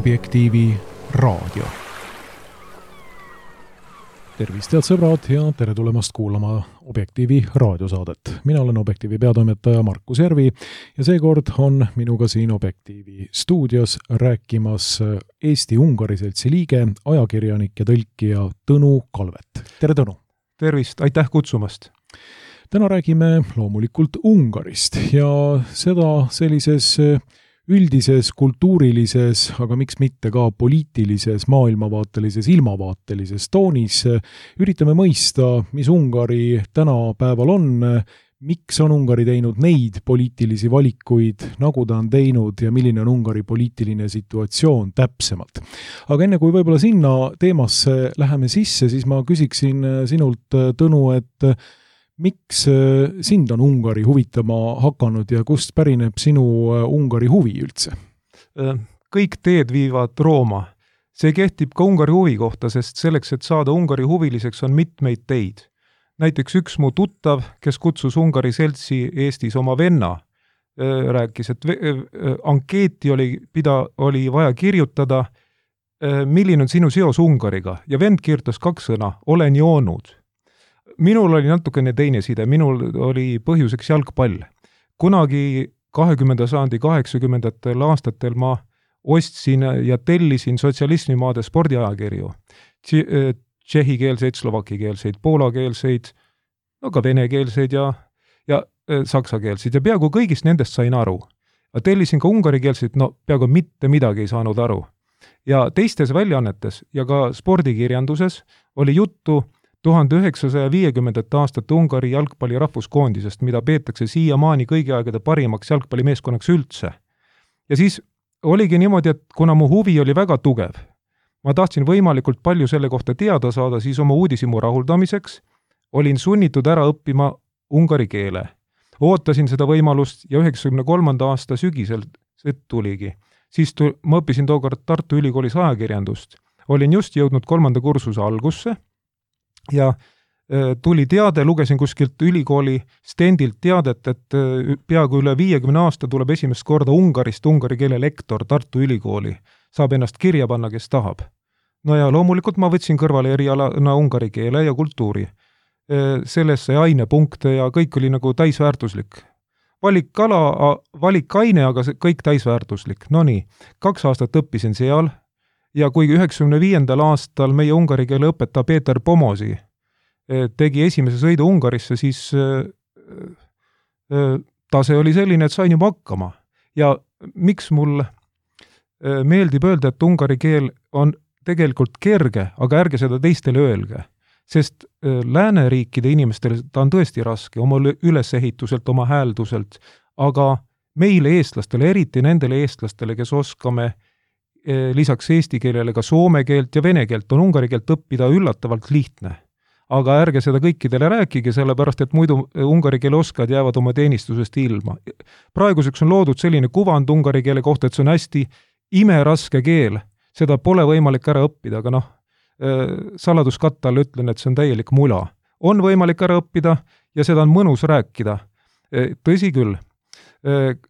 Objektiivi raadio. Tervist, head sõbrad, ja tere tulemast kuulama Objektiivi raadiosaadet. Mina olen Objektiivi peatoimetaja Markus Järvi ja seekord on minuga siin Objektiivi stuudios rääkimas Eesti-Ungari seltsi liige, ajakirjanik ja tõlkija Tõnu Kalvet. Tere, Tõnu! Tervist, aitäh kutsumast! Täna räägime loomulikult Ungarist ja seda sellises üldises, kultuurilises, aga miks mitte ka poliitilises, maailmavaatelises, ilmavaatelises toonis. Üritame mõista, mis Ungari tänapäeval on, miks on Ungari teinud neid poliitilisi valikuid, nagu ta on teinud ja milline on Ungari poliitiline situatsioon täpsemalt. Aga enne kui võib-olla sinna teemasse läheme sisse, siis ma küsiksin sinult, Tõnu, et miks sind on Ungari huvitama hakanud ja kust pärineb sinu Ungari huvi üldse? Kõik teed viivad Rooma. See kehtib ka Ungari huvi kohta, sest selleks, et saada Ungari huviliseks, on mitmeid teid. Näiteks üks mu tuttav, kes kutsus Ungari seltsi Eestis oma venna, rääkis, et ankeeti oli vaja kirjutada, milline on sinu seos Ungariga, ja vend kirjutas 2 sõna, olen joonud. Minul oli natukene teine side, minul oli põhjuseks jalgpall. Kunagi 20. sajandi 80. aastatel ma ostsin ja tellisin sotsialismimaade spordiajakirju. Tšehhikeelseid, slovakikeelseid, poolakeelseid, no ka venekeelseid ja saksakeelseid ja peaaegu kõigist nendest sain aru. Ja tellisin ka ungarikeelseid, no peaaegu mitte midagi ei saanud aru. Ja teistes väljaannetes ja ka spordikirjanduses oli juttu 1950. aastate Ungari jalgpalli rahvuskoondisest, mida peetakse siiamaani kõigi aegade parimaks jalgpallimeeskonnaks üldse. Ja siis oligi niimoodi, et kuna mu huvi oli väga tugev, ma tahtsin võimalikult palju selle kohta teada saada, siis oma uudishimu rahuldamiseks olin sunnitud ära õppima ungari keele. Ootasin seda võimalust ja 93. aasta sügisel see tuligi. Siis ma õppisin tookord Tartu Ülikoolis ajakirjandust. Olin just jõudnud 3. kursuse algusse ja tuli teade, lugesin kuskilt ülikooli stendilt teadet, et peaaegu üle 50 aasta tuleb esimest korda Ungarist ungari keele lektor Tartu Ülikooli. Saab ennast kirja panna, kes tahab. No ja loomulikult ma võtsin kõrvale erialana ungari keele ja kultuuri. Sellesse ainepunkte ja kõik oli nagu täisväärtuslik. Valik aine, aga kõik täisväärtuslik. No nii, 2 aastat õppisin seal ja kui 95. aastal meie ungari keele õpetaja Peeter Pomosi tegi esimese sõidu Ungarisse, siis tase oli selline, et sain juba hakkama. Ja miks mul meeldib öelda, et ungari keel on tegelikult kerge, aga ärge seda teistele öelge. Sest lääneriikide inimestele ta on tõesti raske oma ülesehituselt, oma häälduselt, aga meile eestlastele, eriti nendele eestlastele, kes oskame lisaks eesti keelele ka soome keelt ja vene keelt, on ungari keelt õppida üllatavalt lihtne. Aga ärge seda kõikidele rääkige, sellepärast et muidu ungari keele oskad jäävad oma teenistusest ilma. Praeguseks on loodud selline kuvand ungari keele kohta, et see on hästi imeraske keel. Seda pole võimalik ära õppida, aga saladuskatta all ütlen, et see on täielik mula. On võimalik ära õppida ja seda on mõnus rääkida. Tõsi küll,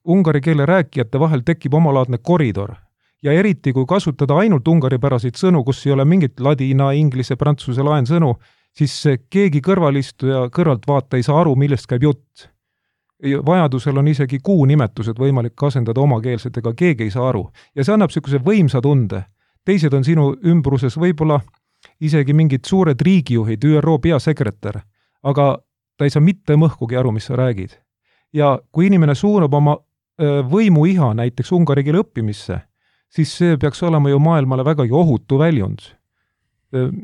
ungari keele rääkijate vahel tekib omalaadne koridor. Ja eriti, kui kasutada ainult ungaripäraseid sõnu, kus ei ole mingit ladina, inglise, prantsuse laensõnu, siis keegi kõrvalistuja kõrvaltvaata ei saa aru, millest käib jutt. Vajadusel on isegi nimetused võimalik asendada omakeelsetega, keegi ei saa aru. Ja see annab niisuguse võimsa tunde. Teised on sinu ümbruses võib-olla isegi mingid suured riigijuhid, ÜRO peasekretär, aga ta ei saa mitte mõhkugi aru, mis sa räägid. Ja kui inimene suunab oma võimu iha näiteks ungari keele õppimisse, siis see peaks olema ju maailmale vägagi ohutu väljund,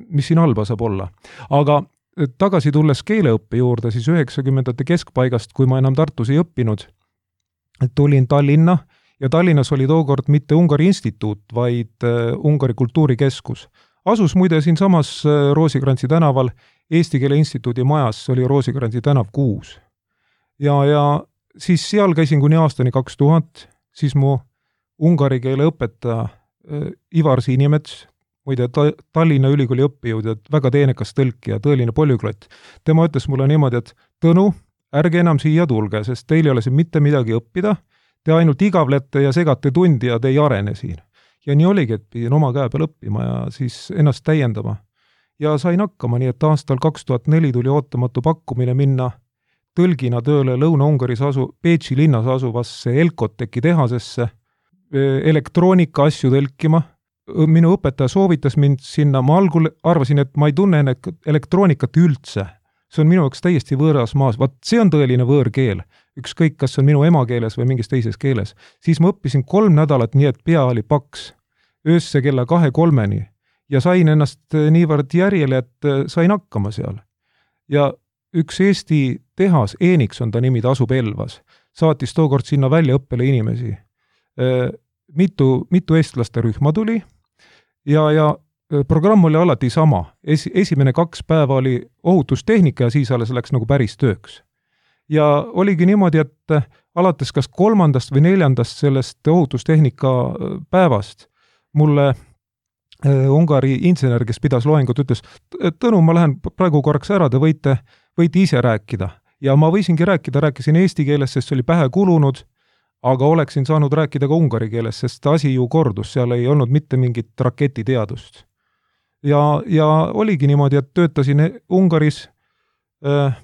mis siin halba saab olla. Aga tagasi tulles keeleõppe juurde, siis 90. keskpaigast, kui ma enam Tartus ei õppinud, tulin Tallinna ja Tallinnas oli tookord mitte Ungari instituut, vaid Ungari kultuurikeskus. Asus muide siin samas Roosikrantsi tänaval Eesti Keele Instituudi majas, see oli Roosikrantsi tänav 6. Ja siis seal käisin kuni aastani 2000, siis mu ungari keele õpetaja Ivar Siinimets, muide Tallinna Ülikooli õppejõud, väga teenekas tõlkija, tõeline polüglott. Tema ütles mulle niimoodi, et Tõnu, ärge enam siia tulge, sest teil ei ole siin mitte midagi õppida, te ainult igavlete ja segate tundi ja te ei arene siin. ja nii oligi, et pidin oma käe peal õppima ja siis ennast täiendama. Ja sain hakkama, nii et aastal 2004 tuli ootamatu pakkumine minna tõlgina tööle Lõuna-Ungaris Peetsi linnas asuvasse Elkoteki tehasesse, elektroonika asju tõlkima. Minu õpetaja soovitas mind sinna, ma algul arvasin, et ma ei tunne elektroonikat üldse. See on minu jaoks täiesti võõras maas, see on tõeline võõrkeel, ükskõik, kas see on minu emakeeles või mingis teises keeles. Siis ma õppisin 3 nädalat nii, et pea oli paks, öösse kella 2-3 ja sain ennast niivõrd järjele, et sain hakkama seal. Ja üks Eesti tehas, Enix on ta nimi, ta asub Elvas, saatis tookord sinna väljaõppele inimesi. Mitu eestlaste rühma tuli ja programm oli alati sama. Esimene 2 päeva oli ohutustehnika ja siis alles läks nagu päris tööks. Ja oligi niimoodi, et alates kas 3. või 4. sellest ohutustehnika päevast mulle Ungari insener, kes pidas loengut, ütles, Tõnu, ma lähen praegu korraks ära, te võite ise rääkida. Ja ma võisingi rääkisin eesti keeles, sest see oli pähe kulunud, aga oleksin saanud rääkida ka ungari keeles, sest asi ju kordus, seal ei olnud mitte mingit raketiteadust. Ja oligi niimoodi, et töötasin Ungaris,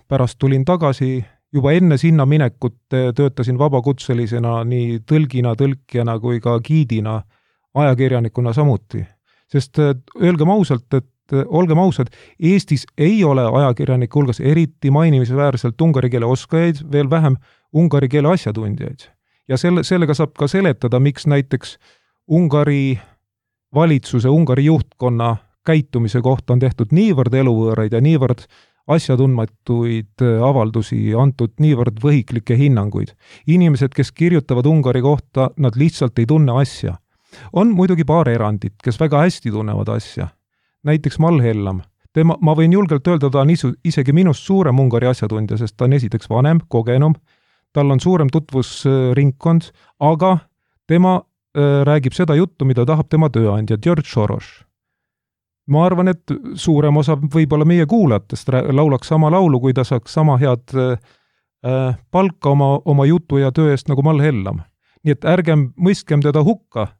pärast tulin tagasi, juba enne sinna minekut töötasin vabakutselisena nii tõlkijana kui ka giidina, ajakirjanikuna samuti. Sest olgem ausad, Eestis ei ole ajakirjanike hulgas eriti mainimisväärselt ungari keele oskajaid, veel vähem ungari keele asjatundjaid. Ja sellega saab ka seletada, miks näiteks Ungari valitsuse, Ungari juhtkonna käitumise kohta on tehtud niivõrd eluvõõraid ja niivõrd asjatundmatuid avaldusi, antud niivõrd võhiklikke hinnanguid. Inimesed, kes kirjutavad Ungari kohta, nad lihtsalt ei tunne asja. On muidugi paar erandit, kes väga hästi tunnevad asja. Näiteks Mall Hellam. Ma võin julgelt öelda, ta on isegi minust suurem Ungari asjatundja, sest ta on esiteks vanem, kogenum, tal on suurem tutvusringkond, aga tema räägib seda juttu, mida tahab tema tööandja, George Soros. Ma arvan, et suurem osa võib-olla meie kuulajatest laulaks sama laulu, kui ta saaks sama head palka oma jutu ja töö eest nagu Mall Hellam. Nii et ärgem mõistkem teda hukka,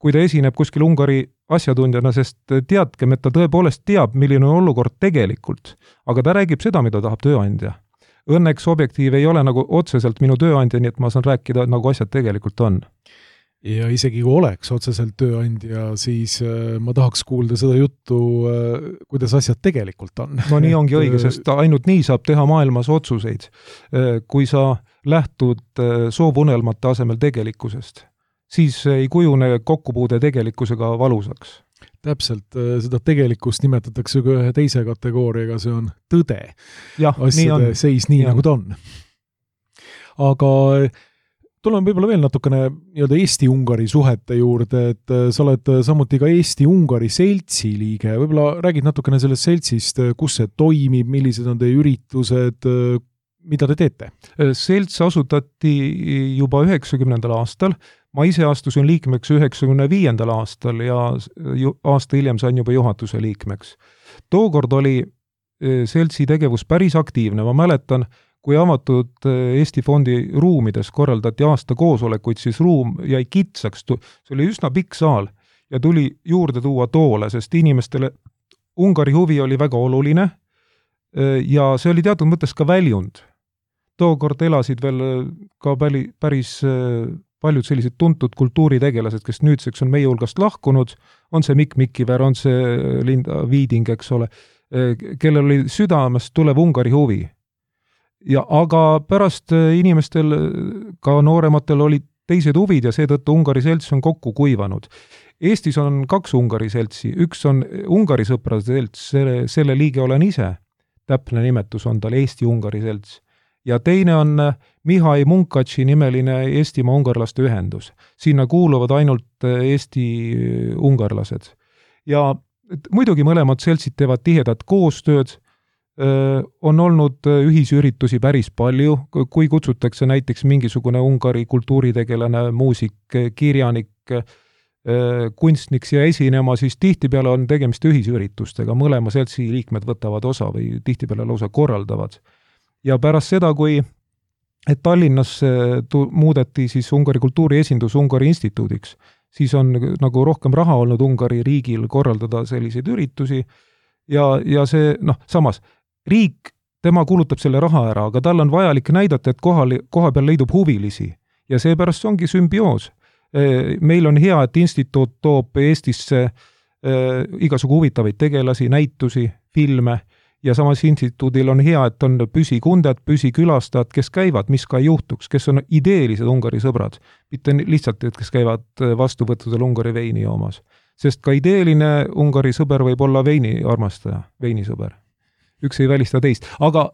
kui ta esineb kuskil Ungari asjatundjana, sest teadkem, et ta tõepoolest teab, milline on olukord tegelikult, aga ta räägib seda, mida tahab tööandja. Õnneks Objektiiv ei ole nagu otseselt minu tööandja, nii et ma saan rääkida, nagu asjad tegelikult on. Ja isegi kui oleks otseselt tööandja, siis ma tahaks kuulda seda juttu, kuidas asjad tegelikult on. No nii ongi õige, sest ainult nii saab teha maailmas otsuseid, kui sa lähtud soovunelmate asemel tegelikkusest. Siis ei kujune kokkupuude tegelikkusega valusaks. Täpselt, seda tegelikkust nimetatakse ka ühe teise kategooriaga, see on tõde. Asjade seis nii, nagu ta on. Aga tuleme võib-olla veel natukene Eesti-Ungari suhete juurde, et sa oled samuti ka Eesti-Ungari seltsi liige. Võib-olla räägid natukene sellest seltsist, kus see toimib, millised on teie üritused, mida te teete? Selts asutati juba 90. aastal. Ma ise astusin liikmeks 95. aastal ja aasta hiljem sain juba juhatuse liikmeks. Tookord oli seltsi tegevus päris aktiivne. Ma mäletan, kui avatud Eesti fondi ruumides korraldati aasta koosolekuid, siis ruum jäi kitsaks. See oli üsna pikk saal ja tuli juurde tuua toole, sest inimestele Ungari huvi oli väga oluline ja see oli teatud mõttes ka väljund. Tookord elasid veel ka päris paljud sellised tuntud kultuuritegelased, kes nüüdseks on meie hulgast lahkunud, on see Mikk Mikiver, on see Linda Viiding, eks ole, kellel oli südamest tulev Ungari huvi. Aga pärast inimestel, ka noorematel olid teised huvid ja seetõttu Ungari selts on kokku kuivanud. Eestis on 2 Ungari seltsi, üks on Ungari sõprade selts, selle liige olen ise, täpne nimetus on tal Eesti-Ungari selts. Ja teine on Mihai Munkatši nimeline Eestimaa ungarlaste ühendus. Sinna kuuluvad ainult Eesti ungarlased. Ja muidugi mõlemad seltsid teevad tihedat koostööd, on olnud ühisüritusi päris palju, kui kutsutakse näiteks mingisugune Ungari kultuuritegelane, muusik, kirjanik, kunstnik siia esinema, siis tihtipeale on tegemist ühisüritustega, mõlema seltsi liikmed võtavad osa või tihtipeale lausa korraldavad. Ja pärast seda, kui Tallinnas muudeti siis Ungari kultuuri esindus Ungari instituudiks, siis on nagu rohkem raha olnud Ungari riigil korraldada selliseid üritusi ja see, samas, riik, tema kulutab selle raha ära, aga tal on vajalik näidata, et koha peal leidub huvilisi ja seepärast ongi sümbioos. Meil on hea, et instituut toob Eestisse igasugu huvitavaid tegelasi, näitusi, filme ja samas instituudil on hea, et on püsikunded, püsikülastajad, kes käivad, mis ka ei juhtuks, kes on ideelised Ungari sõbrad, mitte lihtsalt, et kes käivad vastuvõttudel Ungari veini joomas. Sest ka ideeline Ungari sõber võib olla veini armastaja, veinisõber. Üks ei välista teist. Aga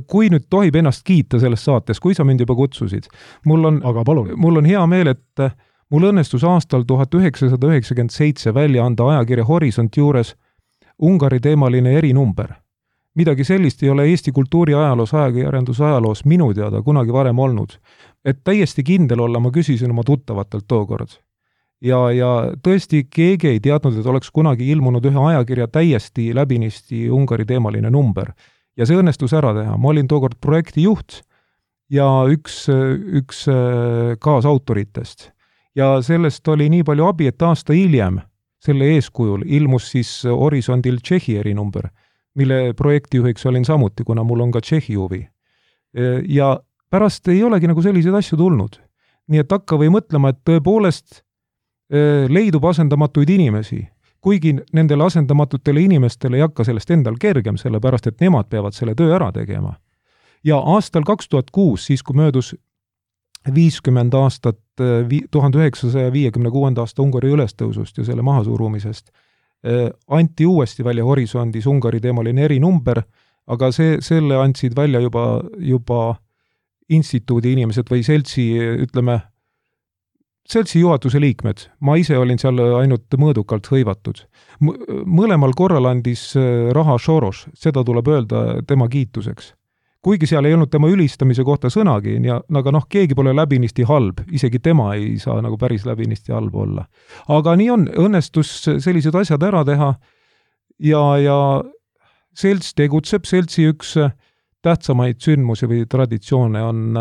kui nüüd tohib ennast kiita selles saates, kui sa mind juba kutsusid, mul on hea meel, et mul õnnestus aastal 1997 välja anda ajakirja Horisont juures Ungari teemaline erinumber. Midagi sellist ei ole Eesti kultuuri ajaloos, ajakirjanduse ajaloos minu teada kunagi varem olnud. Et täiesti kindel olla, ma küsisin oma tuttavatelt tookord. Ja tõesti keegi ei teadnud, et oleks kunagi ilmunud ühe ajakirja täiesti läbinisti Ungari teemaline number. Ja see õnnestus ära teha. Ma olin tookord projekti juht ja üks kaasautoritest. Ja sellest oli nii palju abi, et aasta hiljem selle eeskujul ilmus siis Horisondil Tšehhi erinumber, mille projektijuhiks olin samuti, kuna mul on ka Tšehhi huvi. Ja pärast ei olegi nagu selliseid asju tulnud. Nii et hakka või mõtlema, et tõepoolest leidub asendamatuid inimesi, kuigi nendele asendamatutele inimestele ei hakka sellest endal kergem, sellepärast et nemad peavad selle töö ära tegema. Ja aastal 2006, siis kui möödus 50 aastat 1956. aasta Ungari ülestõusust ja selle mahasurumisest, anti uuesti välja Horisondis Ungari teemaline erinumber, aga selle andsid välja juba instituudi inimesed või seltsi juhatuse liikmed. Ma ise olin seal ainult mõõdukalt hõivatud. Mõlemal korral andis raha Soros, seda tuleb öelda tema kiituseks. Kuigi seal ei olnud tema ülistamise kohta sõnagi, aga keegi pole läbinisti halb, isegi tema ei saa nagu päris läbinisti halb olla. Aga nii on, õnnestus sellised asjad ära teha ja selts tegutseb, seltsi üks tähtsamaid sündmusi või traditsioone on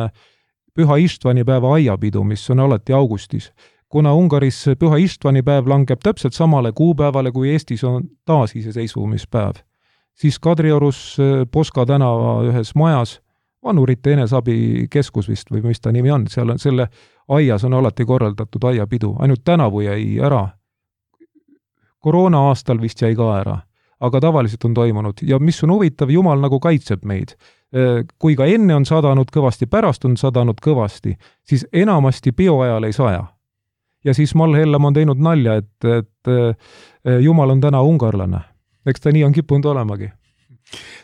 Püha Ištvani päeva aiapidu, mis on alati augustis. Kuna Ungaris Püha Ištvani päev langeb täpselt samale kuupäevale, kui Eestis on taasiseseisvumispäev, siis Kadriorus Poska tänava ühes majas, vanurite enesabi keskus vist või mis ta nimi on, seal on selle aias on alati korraldatud aiapidu, ainult tänavu jäi ära. Koroona aastal vist jäi ka ära, aga tavaliselt on toimunud ja mis on huvitav, Jumal nagu kaitseb meid. Kui ka enne on sadanud kõvasti, pärast on sadanud kõvasti, siis enamasti bioajal ei saja. Ja siis Mall Hellam on teinud nalja, et Jumal on täna ungarlane. Eks ta nii on kippunud olemagi.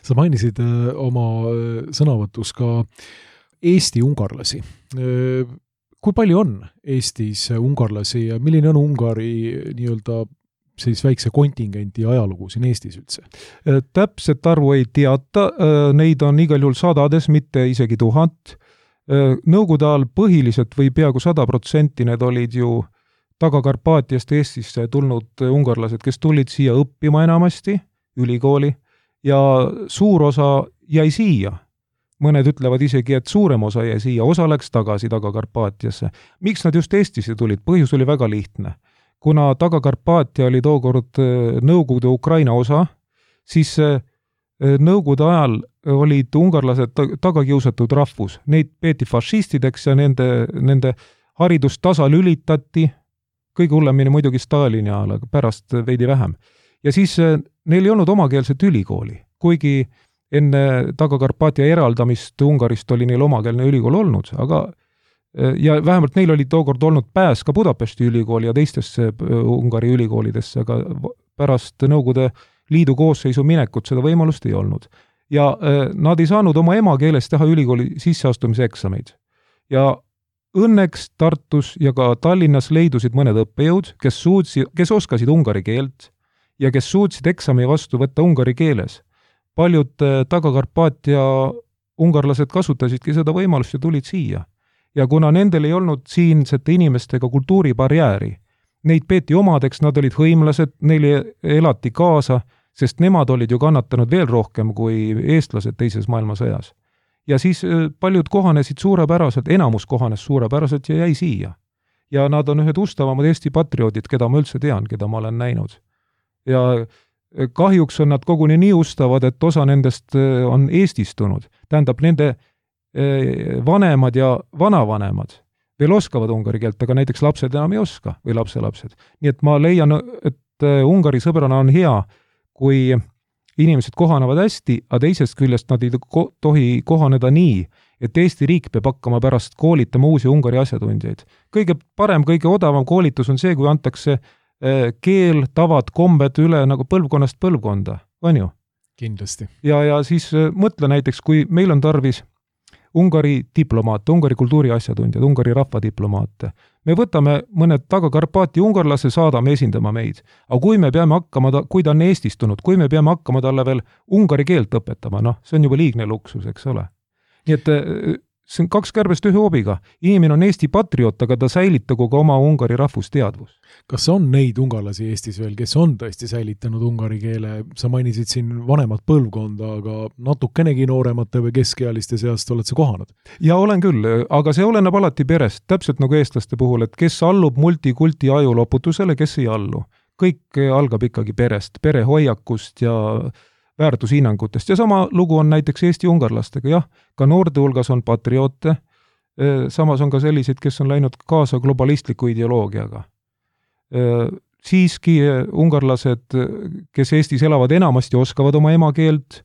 Sa mainisid oma sõnavõtus ka Eesti ungarlasi. Kui palju on Eestis ungarlasi ja milline on Ungari nii-öelda siis väikse kontingendi ajalugu siin Eestis üldse? Täpset arvu ei teata, neid on igal juhul sadades, mitte isegi 1000. Nõukogude ajal põhiliselt või peaaegu 100% need olid ju Taga-Karpaatiast Eestisse tulnud ungarlased, kes tulid siia õppima enamasti, ülikooli, ja suur osa jäi siia. Mõned ütlevad isegi, et suurem osa jäi siia, osa läks tagasi Taga-Karpaatiasse. Miks nad just Eestisse tulid? Põhjus oli väga lihtne. Kuna Taga-Karpaatia oli tookord Nõukogude Ukraina osa, siis Nõukogude ajal olid ungarlased tagakiusatud rahvus. Neid peeti fašistideks ja nende haridust tasalülitati, kõige hullemini muidugi Stalini ajal, aga pärast veidi vähem. Ja siis neil ei olnud omakeelset ülikooli, kuigi enne Taga-Karpaatia eraldamist Ungarist oli neil omakeelne ülikool olnud, ja vähemalt neil oli tookord olnud pääs ka Budapesti ülikooli ja teistesse Ungari ülikoolidesse, aga pärast Nõukogude Liidu koosseisu minekut seda võimalust ei olnud. Ja nad ei saanud oma emakeeles teha ülikooli sisseastumise eksameid. Ja õnneks Tartus ja ka Tallinnas leidusid mõned õppejõud, kes oskasid ungari keelt ja kes suutsid eksami vastu võtta ungari keeles. Paljud Taga-Karpaatia ungarlased kasutasidki seda võimalust ja tulid siia. Ja kuna nendel ei olnud siinsete inimestega kultuuribarjääri, neid peeti omadeks, nad olid hõimlased, neile elati kaasa, sest nemad olid ju kannatanud veel rohkem kui eestlased teises maailmasõjas. Ja siis paljud kohanesid suurepäraselt, enamus kohanes suurepäraselt ja jäi siia. ja nad on ühed ustavamad Eesti patrioodid, keda ma üldse tean, keda ma olen näinud. Ja kahjuks on nad koguni nii ustavad, et osa nendest on eestistunud. Tähendab, nende vanemad ja vanavanemad veel oskavad ungari keelt, aga näiteks lapsed enam ei oska või lapselapsed. Nii et ma leian, et Ungari sõbrana on hea, kui inimesed kohanevad hästi, aga teisest küljest nad ei tohi kohaneda nii, et Eesti riik peab hakkama pärast koolitama uusi Ungari asjatundjaid. Kõige parem, kõige odavam koolitus on see, kui antakse keel, tavad, kombed üle nagu põlvkonnast põlvkonda, on ju? Kindlasti. Ja siis mõtle näiteks, kui meil on tarvis Ungari diplomaate, Ungari kultuuri asjatundjad, Ungari rahvadiplomaate. Me võtame mõned Taga-Karpaati ungarlase, saadame esindama meid. Aga kui me peame hakkama, kui ta on eestistunud, kui me peame hakkama talle veel ungari keelt õpetama, see on juba liigne luksus, eks ole. Nii et see on 2 kärbest 1 hoobiga. Inimene on Eesti patrioot, aga ta säilitagu ka oma ungari rahvusteadvus. Kas on neid ungarlasi Eestis veel, kes on tõesti säilitanud ungari keele? Sa mainisid siin vanemat põlvkonda, aga natukenegi nooremate või keskealiste seast oled sa kohanud? Ja olen küll, aga see oleneb alati perest, täpselt nagu eestlaste puhul, et kes allub multikulti ajuloputusele, kes ei allu. Kõik algab ikkagi perest, perehoiakust ja väärtushinnangutest. Ja sama lugu on näiteks Eesti ungarlastega, jah, ka noorte hulgas on patrioote, samas on ka selliseid, kes on läinud kaasa globalistliku ideoloogiaga. Siiski ungarlased, kes Eestis elavad enamasti, oskavad oma emakeelt,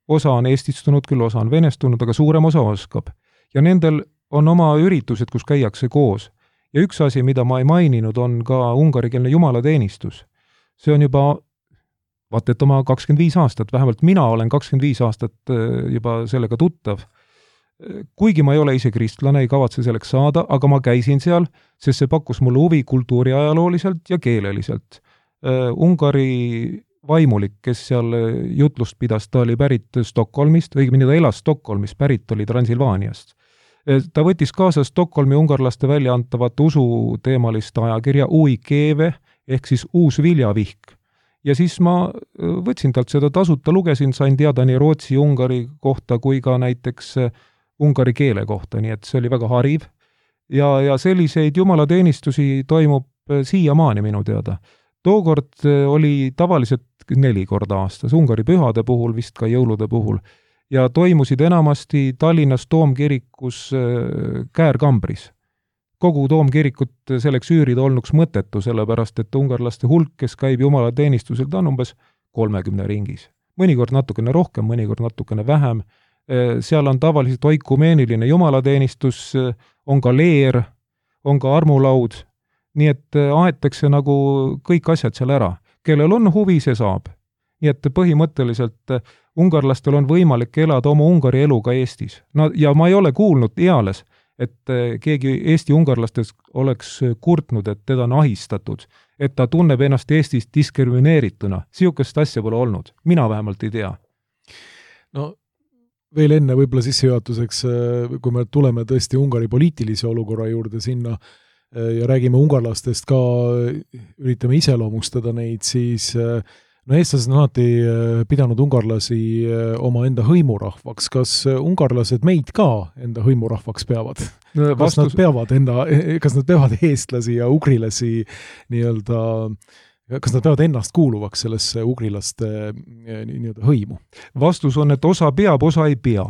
osa on eestistunud, küll osa on venestunud, aga suurem osa oskab. Ja nendel on oma üritused, kus käiakse koos. Ja üks asi, mida ma ei maininud, on ka ungarikeelne jumalateenistus. See on juba vaat et oma 25 aastat, vähemalt mina olen 25 aastat juba sellega tuttav. Kuigi ma ei ole ise kristlane, ei kavatse selleks saada, aga ma käisin seal, sest see pakkus mulle huvi kultuuriajalooliselt ja keeleliselt. Ungari vaimulik, kes seal jutlust pidas, ta oli pärit Stockholmist, õigemini ta elas Stockholmis, pärit oli Transilvaaniast. Ta võttis kaasa Stockholmi ungarlaste väljaantavat usuteemalist ajakirja Uikeve, ehk siis uus viljavihk. Ja siis ma võtsin talt seda tasuta, lugesin, sain teada nii Rootsi, Ungari kohta kui ka näiteks ungari keele kohta, nii et see oli väga hariv. Ja selliseid jumalateenistusi toimub siiamaani minu teada. Tookord oli tavaliselt 4 korda aastas, Ungari pühade puhul, vist ka jõulude puhul, ja toimusid enamasti Tallinnas Toomkirikus Käärkambris. Kogu Toomkirikut selleks üürida olnuks mõttetu, sellepärast et ungarlaste hulk, kes käib jumalateenistusel, ta on umbes 30 ringis. Mõnikord natukene rohkem, mõnikord natukene vähem. Seal on tavaliselt oikumeeniline jumalateenistus, on ka leer, on ka armulaud, nii et aetakse nagu kõik asjad seal ära. Kellel on huvi, see saab. Nii et põhimõtteliselt ungarlastel on võimalik elada oma ungari elu ka Eestis. Ja ma ei ole kuulnud eales, et keegi Eesti ungarlastes oleks kurtnud, et teda on ahistatud, et ta tunneb ennast Eestis diskrimineerituna. Siukest asja pole olnud. Mina vähemalt ei tea. No veel enne võib-olla sissejuhatuseks, kui me tuleme tõesti Ungari poliitilise olukorra juurde sinna ja räägime ungarlastest ka, üritame iseloomustada neid, siis eestlased on alati pidanud ungarlasi oma enda hõimurahvaks. Kas ungarlased meid ka enda hõimurahvaks peavad? Kas nad peavad eestlasi ja ugrilasi nii-öelda, kas nad peavad ennast kuuluvaks sellesse ugrilaste nii-öelda hõimu? Vastus on, et osa peab, osa ei pea.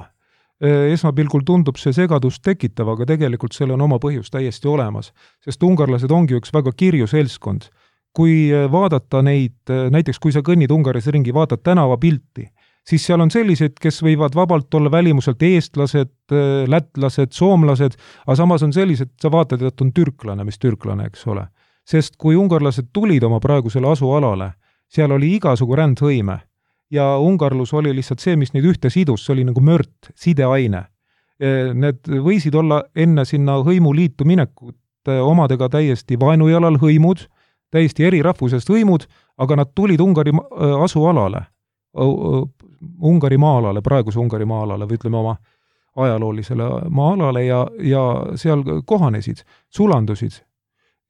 Esmapilgul tundub see segadust tekitav, aga tegelikult seal on oma põhjus täiesti olemas, sest ungarlased ongi üks väga kirju seltskond. Kui vaadata neid, näiteks kui sa kõnnid Ungaris ringi, vaatad tänavapilti, siis seal on sellised, kes võivad vabalt olla välimuselt eestlased, lätlased, soomlased, aga samas on sellised, sa vaatad, et on türklane, mis türklane, eks ole. Sest kui ungarlased tulid oma praegusele asualale, seal oli igasugu rändhõime ja ungarlus oli lihtsalt see, mis neid ühte sidus, see oli nagu mört, sideaine. Need võisid olla enne sinna hõimuliitu minekut omadega täiesti vaenujalal hõimud, täiesti eri rahvusest hõimud, aga nad tulid Ungari asualale, Ungari maa-alale, praeguse Ungari maa-alale või ütleme oma ajaloolisele maa-alale ja seal kohanesid, sulandusid.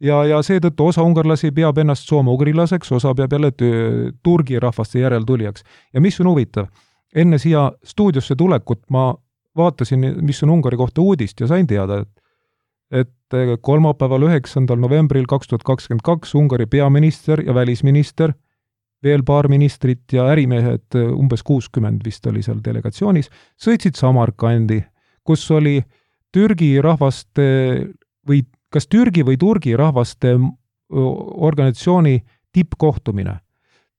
Ja seetõttu osa ungarlasi peab ennast soome-ugrilaseks, osa peab jälle turgi rahvaste järeltulijaks. Ja mis on huvitav? Enne siia stuudiosse tulekut ma vaatasin, mis on Ungari kohta uudist ja sain teada, et kolmapäeval 9. novembril 2022 Ungari peaminister ja välisminister, veel paar ministrit ja ärimehed, umbes 60 vist oli seal delegatsioonis, sõitsid Samarkandi, kus oli Türgi rahvaste või kas Türgi või Turgi rahvaste organisatsiooni tippkohtumine.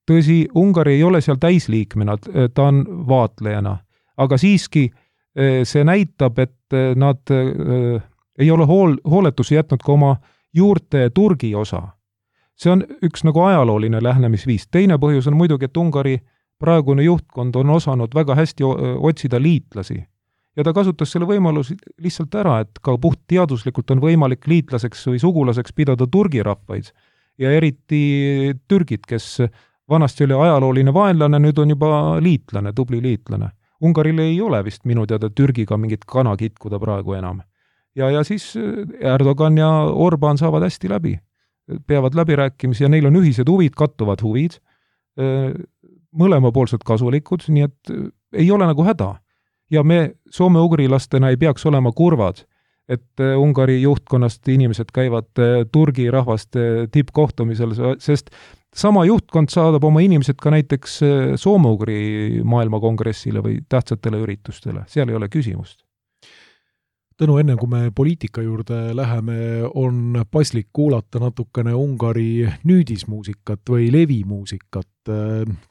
Tõsi, Ungari ei ole seal täisliikmena, ta on vaatlejana, aga siiski see näitab, et nad ei ole hooletusi jätnud ka oma juurte Turgi osa. See on üks nagu ajalooline lähenemisviis. Teine põhjus on muidugi, et Ungari praegune juhtkond on osanud väga hästi otsida liitlasi. Ja ta kasutas selle võimalus lihtsalt ära, et ka puht teaduslikult on võimalik liitlaseks või sugulaseks pidada Turgi rahvaid. Ja eriti Türgid, kes vanasti oli ajalooline vaenlane, nüüd on juba liitlane, tubli liitlane. Ungaril ei ole vist minu teada Türgiga mingit kana kitkuda praegu enam. Ja siis Erdogan ja Orban saavad hästi läbi. Peavad läbirääkimisi ja neil on ühised huvid, kattuvad huvid, mõlemapoolsed kasulikud, nii et ei ole nagu häda. Ja me soome-ugrilastena ei peaks olema kurvad, et Ungari juhtkonnast inimesed käivad Turgi rahvaste tippkohtumisel, sest sama juhtkond saadab oma inimesed ka näiteks soome-ugri maailmakongressile või tähtsatele üritustele, seal ei ole küsimust. Tõnu, enne kui me poliitika juurde läheme, on paslik kuulata natukene Ungari nüüdismuusikat või levimuusikat.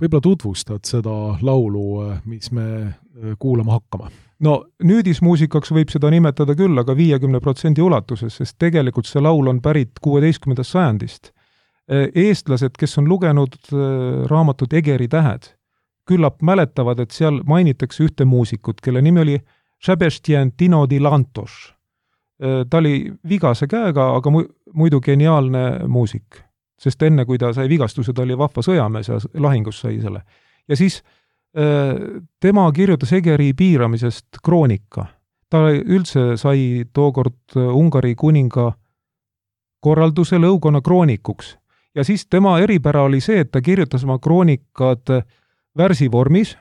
Võib-olla tutvustad seda laulu, mis me kuulama hakkama? No nüüdismuusikaks võib seda nimetada küll, aga 50% ulatuses, sest tegelikult see laul on pärit 16. sajandist. Eestlased, kes on lugenud raamatut Egeri tähed, küllap mäletavad, et seal mainitakse ühte muusikut, kelle nimi oli Sebastian Tino di Lantos. Ta oli vigase käega, aga muidu geniaalne muusik, sest enne kui ta sai vigastuse, ta oli vahva sõjamees ja lahingus sai selle. Ja siis tema kirjutas Egeri piiramisest kroonika. Ta üldse sai tookord Ungari kuninga korralduse lõugonna kroonikuks. Ja siis tema eripära oli see, et ta kirjutas oma kroonikad värsivormis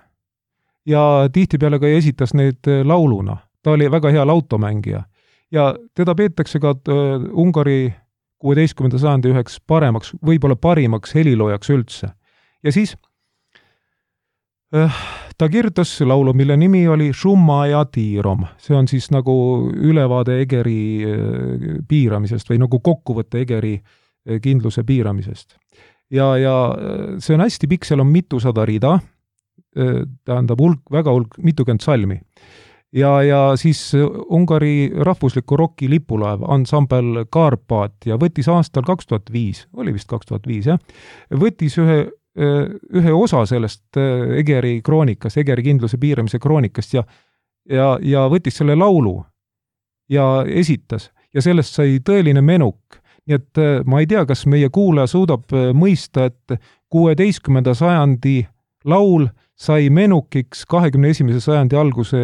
ja tihtipeale ka esitas neid lauluna. Ta oli väga hea lautomängija. Ja teda peetakse ka Ungari 16. sajandi üheks paremaks, võib-olla parimaks heliloojaks üldse. Ja siis ta kirjutas laulu, mille nimi oli Šumma ja Tiirom. See on siis nagu ülevaade Egeri piiramisest või nagu kokkuvõtte Egeri kindluse piiramisest. Ja see on hästi pikk, seal on mitusada rida, tähendab väga mitukümmend salmi. Ja siis Ungari rahvusliku roki lipulaev ansambel Karpaat ja võttis aastal 2005, oli vist 2005, jah, võttis ühe osa sellest Egeri kroonikast, Egeri kindluse piiramise kroonikast ja võttis selle laulu ja esitas ja sellest sai tõeline menuk. Nii et ma ei tea, kas meie kuulaja suudab mõista, et 16. sajandi laul sai menukiks 21. sajandi alguse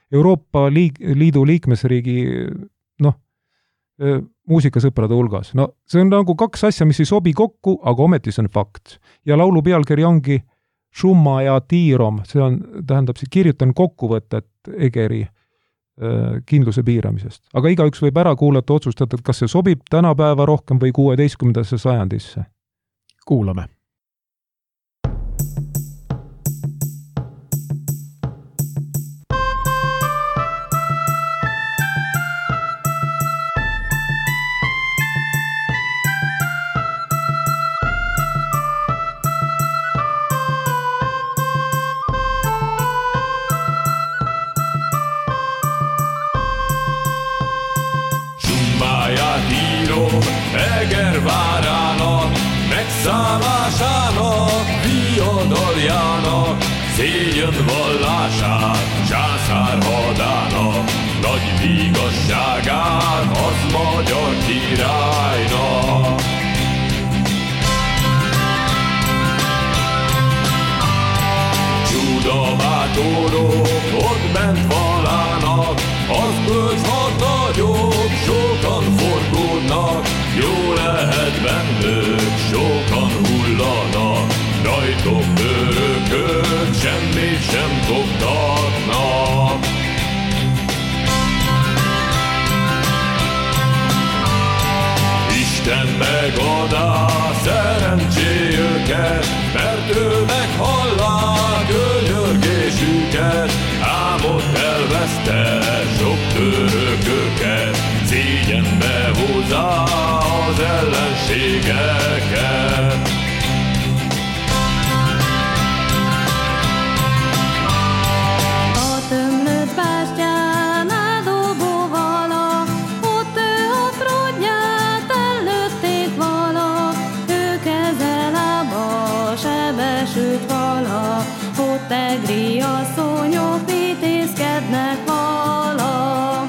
Euroopa Liidu liikmesriigi muusikasõprade hulgas. No see on nagu kaks asja, mis ei sobi kokku, aga ometi see on fakt. Ja laulu pealkiri ongi Šumma ja Tiirom, see on, tähendab, kirjutan kokkuvõtet Egeri kindluse piiramisest. Aga igaüks võib ära kuulata, otsustada, et kas see sobib tänapäeva rohkem või 16. sajandisse. Kuulame. Egervárjának, megszállásának, viadaljának, szégyen vallását, császár hadának, nagy vigasságát, az magyar királynak. Csúdabátorok ott bent valának, az bölcs hadnagyok, sokan forgódnak, jó lehet bennük, sokan hullanak, rajtok örökök, semmit sem koptatnak. vigyen meg oda szerencséjüket, mert ő meghallá könyörgésüket, álmot elveszte sok törököket, szégyenbe húzza az ellenségeket. Tegri asszonyok vitézkednek vala.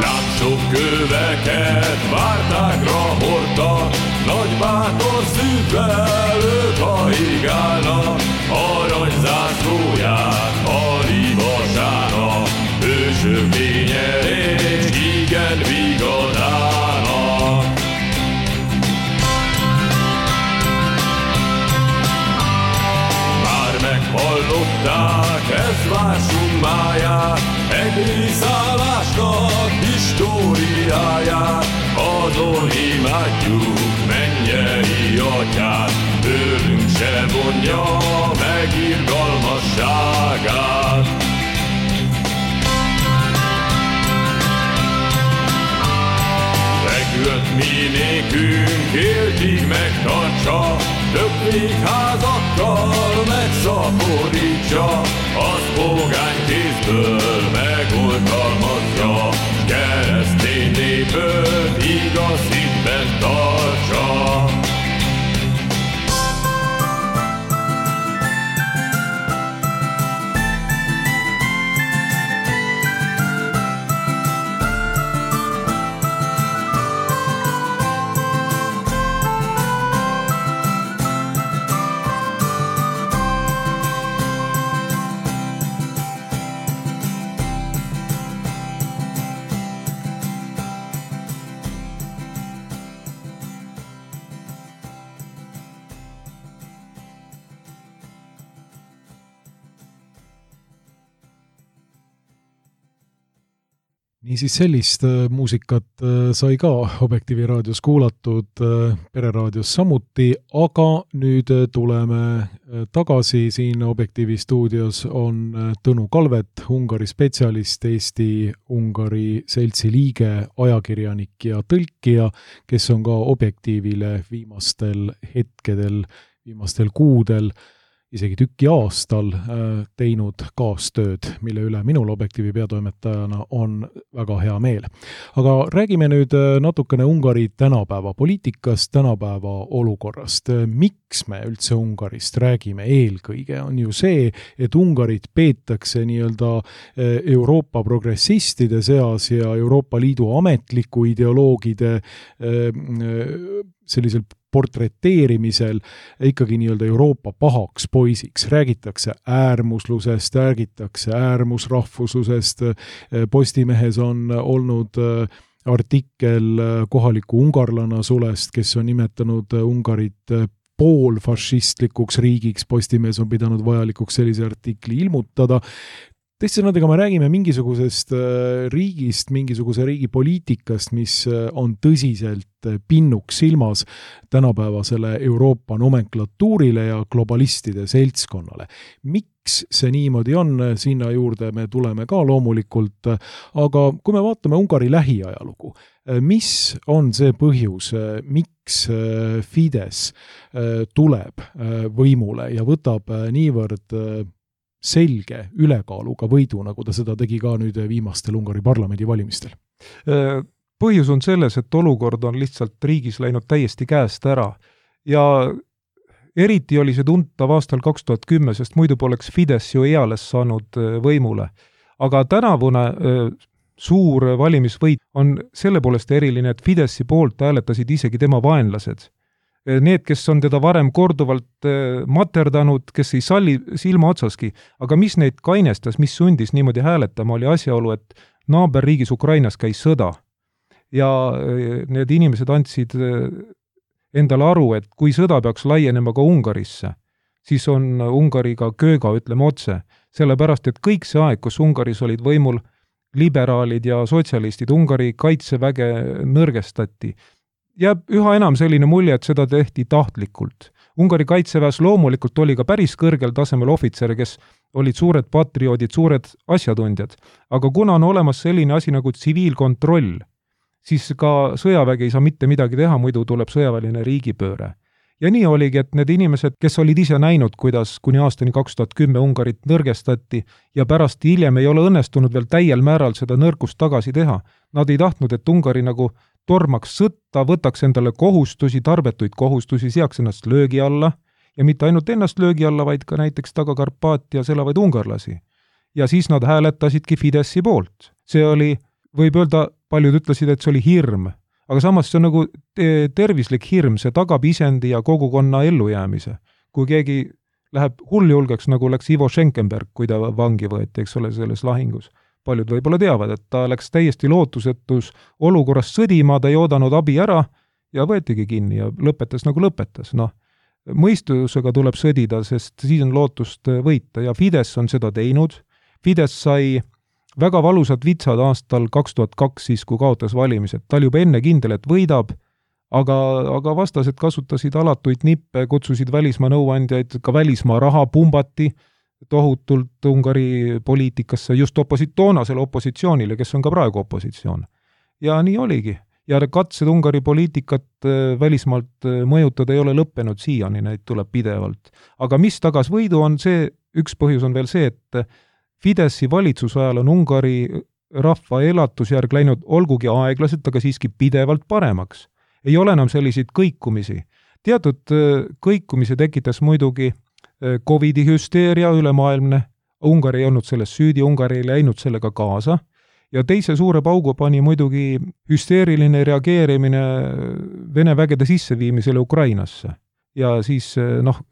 Látsok köveket vártákra hordtak, nagy bátor szívvel ők hajigálnak, aranyzászlóját halivasára, hősök lényerés igen vigadának. Hallották ez vársunk máját, egész állásnak históriáját, azon imádjuk mennyei atyát, tőlünk se vonja meg irgalmasságát. Megölt mi nékünk éltig megtartsa, több végházakkal megszaporítsa, az pogány kézből megoldalmazja, keresztény népöt igaz hitben tartsa. Niisiis sellist muusikat sai ka Objektiivi raadios kuulatud, Pereraadios samuti, aga nüüd tuleme tagasi siin Objektiivi stuudios on Tõnu Kalvet, Ungari spetsialist, Eesti-Ungari seltsi liige, ajakirjanik ja tõlkija, kes on ka Objektiivile viimastel hetkedel, viimastel kuudel isegi tüki aastal teinud kaastööd, mille üle minul Objektiivi peatoimetajana on väga hea meel. Aga räägime nüüd natukene Ungari tänapäeva poliitikast, tänapäeva olukorrast. Miks me üldse Ungarist räägime? Eelkõige on ju see, et Ungarit peetakse nii-öelda Euroopa progressistide seas ja Euroopa Liidu ametliku ideoloogide sellisel portreteerimisel ikkagi nii-öelda Euroopa pahaks poisiks. Räägitakse äärmuslusest, räägitakse äärmusrahvuslusest. Postimehes on olnud artikkel kohaliku ungarlana Sulest, kes on nimetanud Ungarit poolfašistlikuks riigiks. Postimees on pidanud vajalikuks sellise artikli ilmutada. Teiste sõnadega me räägime mingisugusest riigist, mingisuguse riigi poliitikast, mis on tõsiselt pinnuks silmas tänapäevasele Euroopa nomenklatuurile ja globalistide seltskonnale. Miks see niimoodi on, sinna juurde me tuleme ka loomulikult, aga kui me vaatame Ungari lähiajalugu, mis on see põhjus, miks Fidesz tuleb võimule ja võtab niivõrd selge ülekaaluga võidu, nagu ta seda tegi ka nüüd viimastel Ungari parlamendi valimistel? Põhjus on selles, et olukord on lihtsalt riigis läinud täiesti käest ära ja eriti oli see tuntav aastal 2010, sest muidu poleks Fidesz ju eales saanud võimule. Aga tänavune suur valimisvõit on selle poolest eriline, et Fideszi poolt hääletasid isegi tema vaenlased. Need, kes on teda varem korduvalt materdanud, kes ei salli silma otsaski, aga mis neid kainestas, mis sundis niimoodi hääletama, oli asjaolu, et naaberriigis Ukrainas käis sõda. Ja need inimesed andsid endale aru, et kui sõda peaks laienema ka Ungarisse, siis on Ungariga kööga, ütleme otse. Sellepärast, et kõik see aeg, kus Ungaris olid võimul liberaalid ja sotsialistid, Ungari kaitseväge nõrgestati. Jääb üha enam selline mulje, et seda tehti tahtlikult. Ungari kaitseväes loomulikult oli ka päris kõrgel tasemel ohvitsere, kes olid suured patrioodid, suured asjatundjad. Aga kuna on olemas selline asi nagu tsiviilkontroll, siis ka sõjavägi ei saa mitte midagi teha, muidu tuleb sõjaväeline riigipööre. Ja nii oligi, et need inimesed, kes olid ise näinud, kuidas kuni aastani 2010 Ungarit nõrgestati ja pärast hiljem ei ole õnnestunud veel täiel määral seda nõrkust tagasi teha, nad ei tahtnud, et Ungari nagu tormaks sõtta, võtaks endale kohustusi, tarbetuid kohustusi, seaks ennast löögi alla ja mitte ainult ennast löögi alla, vaid ka näiteks Taga-Karpaatia elavaid ungarlasi. Ja siis nad hääletasidki Fideszi poolt. See oli, võib öelda, paljud ütlesid, et see oli hirm, aga samas see on nagu tervislik hirm, see tagab isendi ja kogukonna ellujäämise. Kui keegi läheb hulljulgeks, nagu läks Ivo Schenkenberg, kui ta vangi võeti, eks ole, selles lahingus. Paljud võib-olla teavad, et ta läks täiesti lootusetus olukorras sõdima, ta ei oodanud abi ära ja võetigi kinni ja lõpetas nagu lõpetas. Noh, mõistusega tuleb sõdida, sest siis on lootust võita ja Fidesz on seda teinud. Fidesz sai väga valusad vitsad aastal 2002, siis kui kaotas valimised. Ta oli juba enne kindel, et võidab, aga vastased kasutasid alatuid nippe, kutsusid välismaa nõuandjaid, ka välismaa raha pumbati tohutult Ungari poliitikasse, just toonasele opositsioonile, kes on ka praegu opositsioon. Ja nii oligi. Ja katsed Ungari poliitikat välismaalt mõjutada ei ole lõppenud siiani, neid tuleb pidevalt. Aga mis tagas võidu on see, üks põhjus on veel see, et Fideszi valitsusajal on Ungari rahva elatusjärg läinud olgugi aeglaselt, aga siiski pidevalt paremaks. Ei ole enam selliseid kõikumisi. Teatud kõikumise tekitas muidugi Covidi hüsteeria ülemaailmne. Ungari ei olnud selles süüdi, Ungari ei läinud sellega kaasa. Ja teise suure paugu pani muidugi hüsteeriline reageerimine Vene vägede sisseviimisele Ukrainasse. Ja siis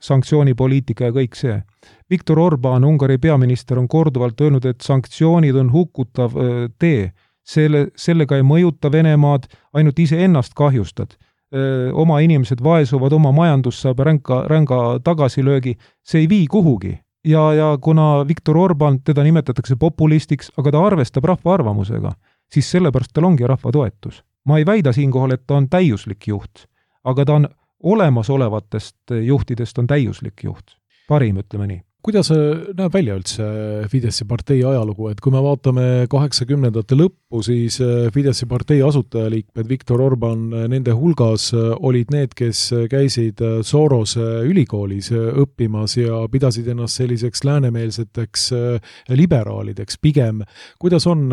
sanktsioonipoliitika ja kõik see. Viktor Orbán, Ungari peaminister, on korduvalt öelnud, et sanktsioonid on hukutav tee. Sellega ei mõjuta Venemaad, ainult ise ennast kahjustad. Oma inimesed vaesuvad, oma majandus saab ränga tagasilöögi, see ei vii kuhugi. Ja kuna Viktor Orbán, teda nimetatakse populistiks, aga ta arvestab rahva arvamusega, siis sellepärast tal ongi rahva toetus. Ma ei väida siinkohal, et ta on täiuslik juht, aga ta on olemasolevatest juhtidest on täiuslik juht. Parim, ütleme nii. Kuidas näeb välja üldse Fideszi partei ajalugu, et kui me vaatame 80ndate lõppu, siis Fideszi partei asutajaliikmed Viktor Orbán nende hulgas olid need, kes käisid Sorose ülikoolis õppimas ja pidasid ennast selliseks läänemeelseteks liberaalideks pigem. Kuidas on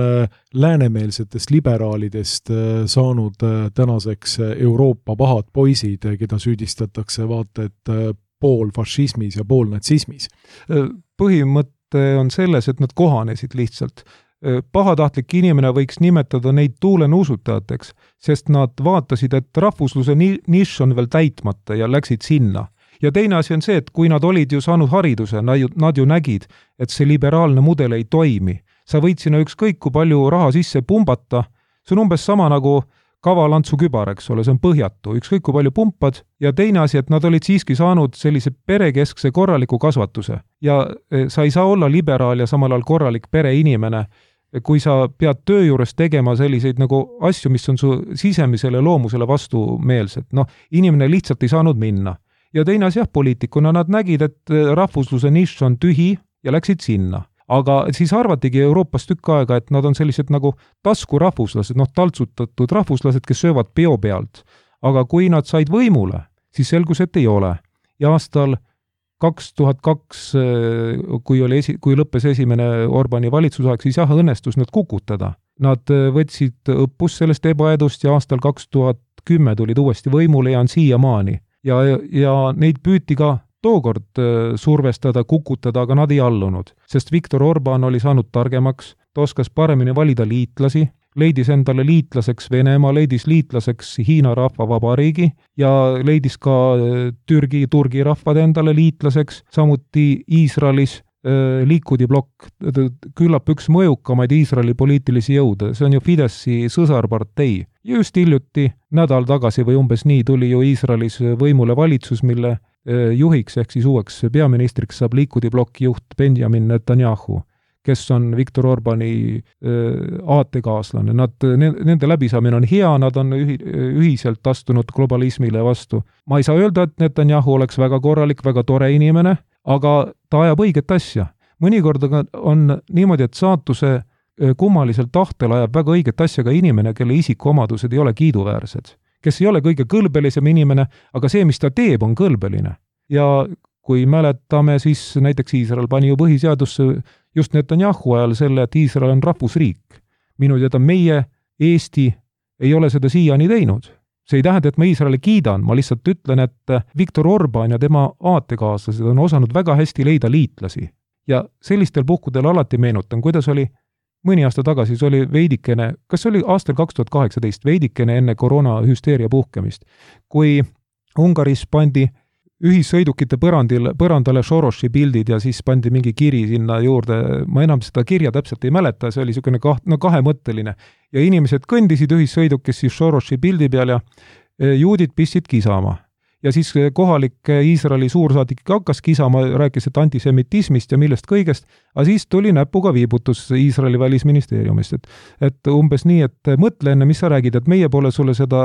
läänemeelsetest liberaalidest saanud tänaseks Euroopa pahad poisid, keda süüdistatakse vaata, et pool fašismis ja pool natsismis? Põhimõte on selles, et nad kohanesid lihtsalt. Pahatahtlik inimene võiks nimetada neid tuulenuusutajateks, sest nad vaatasid, et rahvusluse nišš on veel täitmata ja läksid sinna. Ja teine asi on see, et kui nad olid ju saanud hariduse, nad ju nägid, et see liberaalne mudel ei toimi. Sa võid sinna ükskõik kui palju raha sisse pumbata, see on umbes sama nagu kavalantsu kübar, eks ole, see on põhjatu, ükskõik kui palju pumpad, ja teine asi, et nad olid siiski saanud sellise perekeskse korraliku kasvatuse. Ja sa ei saa olla liberaal ja samal ajal korralik pereinimene, kui sa pead töö juures tegema selliseid nagu asju, mis on su sisemisele loomusele vastumeelsed. Inimene lihtsalt ei saanud minna. Ja teine asi, poliitikuna nad nägid, et rahvusluse nišš on tühi ja läksid sinna. Aga siis arvatigi Euroopas tükk aega, et nad on sellised nagu taskurahvuslased, taltsutatud rahvuslased, kes söövad peo pealt. Aga kui nad said võimule, siis selgus, et ei ole. Ja aastal 2002, kui lõppes esimene Orbáni valitsusaeg, siis õnnestus nad kukutada. Nad võtsid õppus sellest ebaedust ja aastal 2010 tulid uuesti võimule ja on siiamaani. Ja neid püüti ka tookord survestada, kukutada, aga nad ei allunud, sest Viktor Orbán oli saanud targemaks, ta oskas paremini valida liitlasi, leidis endale liitlaseks Venemaa, leidis liitlaseks Hiina rahvavabariigi ja leidis ka Turgi rahvad endale liitlaseks, samuti Iisraelis Likudi blokk, küllap üks mõjukamaid Iisraeli poliitilisi jõude, see on ju Fideszi sõsarpartei. Ja just hiljuti, nädal tagasi või umbes nii, tuli ju Iisraelis võimule valitsus, mille juhiks ehk siis uueks peaministriks saab Likudi blokki juht Benjamin Netanyahu, kes on Viktor Orbani aatekaaslane. Nende läbisaamine on hea, nad on ühiselt astunud globalismile vastu. Ma ei saa öelda, et Netanyahu oleks väga korralik, väga tore inimene, aga ta ajab õiget asja. Mõnikord on niimoodi, et saatuse kummalisel tahtel ajab väga õiget asja ka inimene, kelle isikuomadused ei ole kiiduväärsed, kes ei ole kõige kõlbelisem inimene, aga see, mis ta teeb, on kõlbeline. Ja kui mäletame, siis näiteks Iisrael pani ju põhiseadusse just Netanyahu ajal selle, et Iisrael on rahvusriik. Minu teada meie, Eesti, ei ole seda siiani teinud. See ei tähenda, et ma Iisraeli kiidan, ma lihtsalt ütlen, et Viktor Orban ja tema aatekaaslased on osanud väga hästi leida liitlasi. Ja sellistel puhkudel alati meenutan, kuidas oli mõni aasta tagasi, see oli veidikene, kas oli aastal 2018, veidikene enne koroonahüsteeria puhkemist, kui Ungaris pandi ühissõidukite põrandale Sorosi pildid ja siis pandi mingi kiri sinna juurde, ma enam seda kirja täpselt ei mäleta, see oli niisugune kahemõtteline. Ja inimesed kõndisid ühissõidukis siis Sorosi pildi peal ja juudid pistsid kisama. Ja siis kohalik Iisraeli suursaadik hakkas kisama, rääkis, et antisemitismist ja millest kõigest, aga siis tuli näpuga viibutus Iisraeli välisministeeriumist. Et umbes nii, et mõtle enne, mis sa räägid, et meie pole sulle seda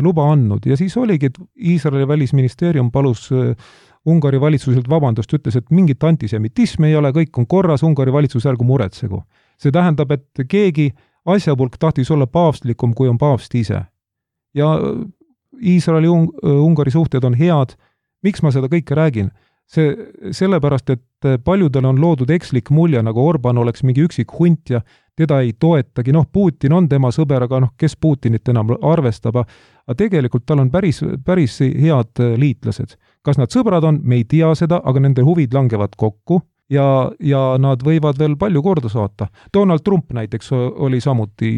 luba andnud. Ja siis oligi, et Iisraeli välisministeerium palus Ungari valitsuselt vabandust, ütles, et mingit antisemitismi ei ole, kõik on korras, Ungari valitsus ärgu muretsegu. See tähendab, et keegi asjapulk tahtis olla paavstlikum, kui on paavst ise. Ja Iisraeli Ungari suhted on head. Miks ma seda kõike räägin? Sellepärast, et paljudel on loodud ekslik mulje, nagu Orban oleks mingi üksik hunt ja teda ei toetagi. Putin on tema sõber, aga kes Putinit enam arvestab. Aga tegelikult tal on päris head liitlased. Kas nad sõbrad on? Me ei tea seda, aga nende huvid langevad kokku. Ja nad võivad veel palju korda saata. Donald Trump näiteks oli samuti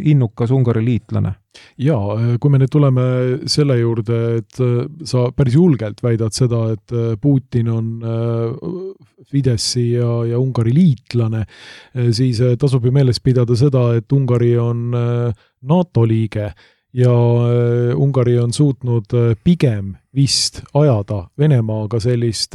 innukas Ungari liitlane. Ja, kui me nüüd tuleme selle juurde, et sa päris julgelt väidad seda, et Putin on Fideszi ja Ungari liitlane, siis tasub ju meeles pidada seda, et Ungari on NATO liige ja Ungari on suutnud pigem vist ajada Venemaaga sellist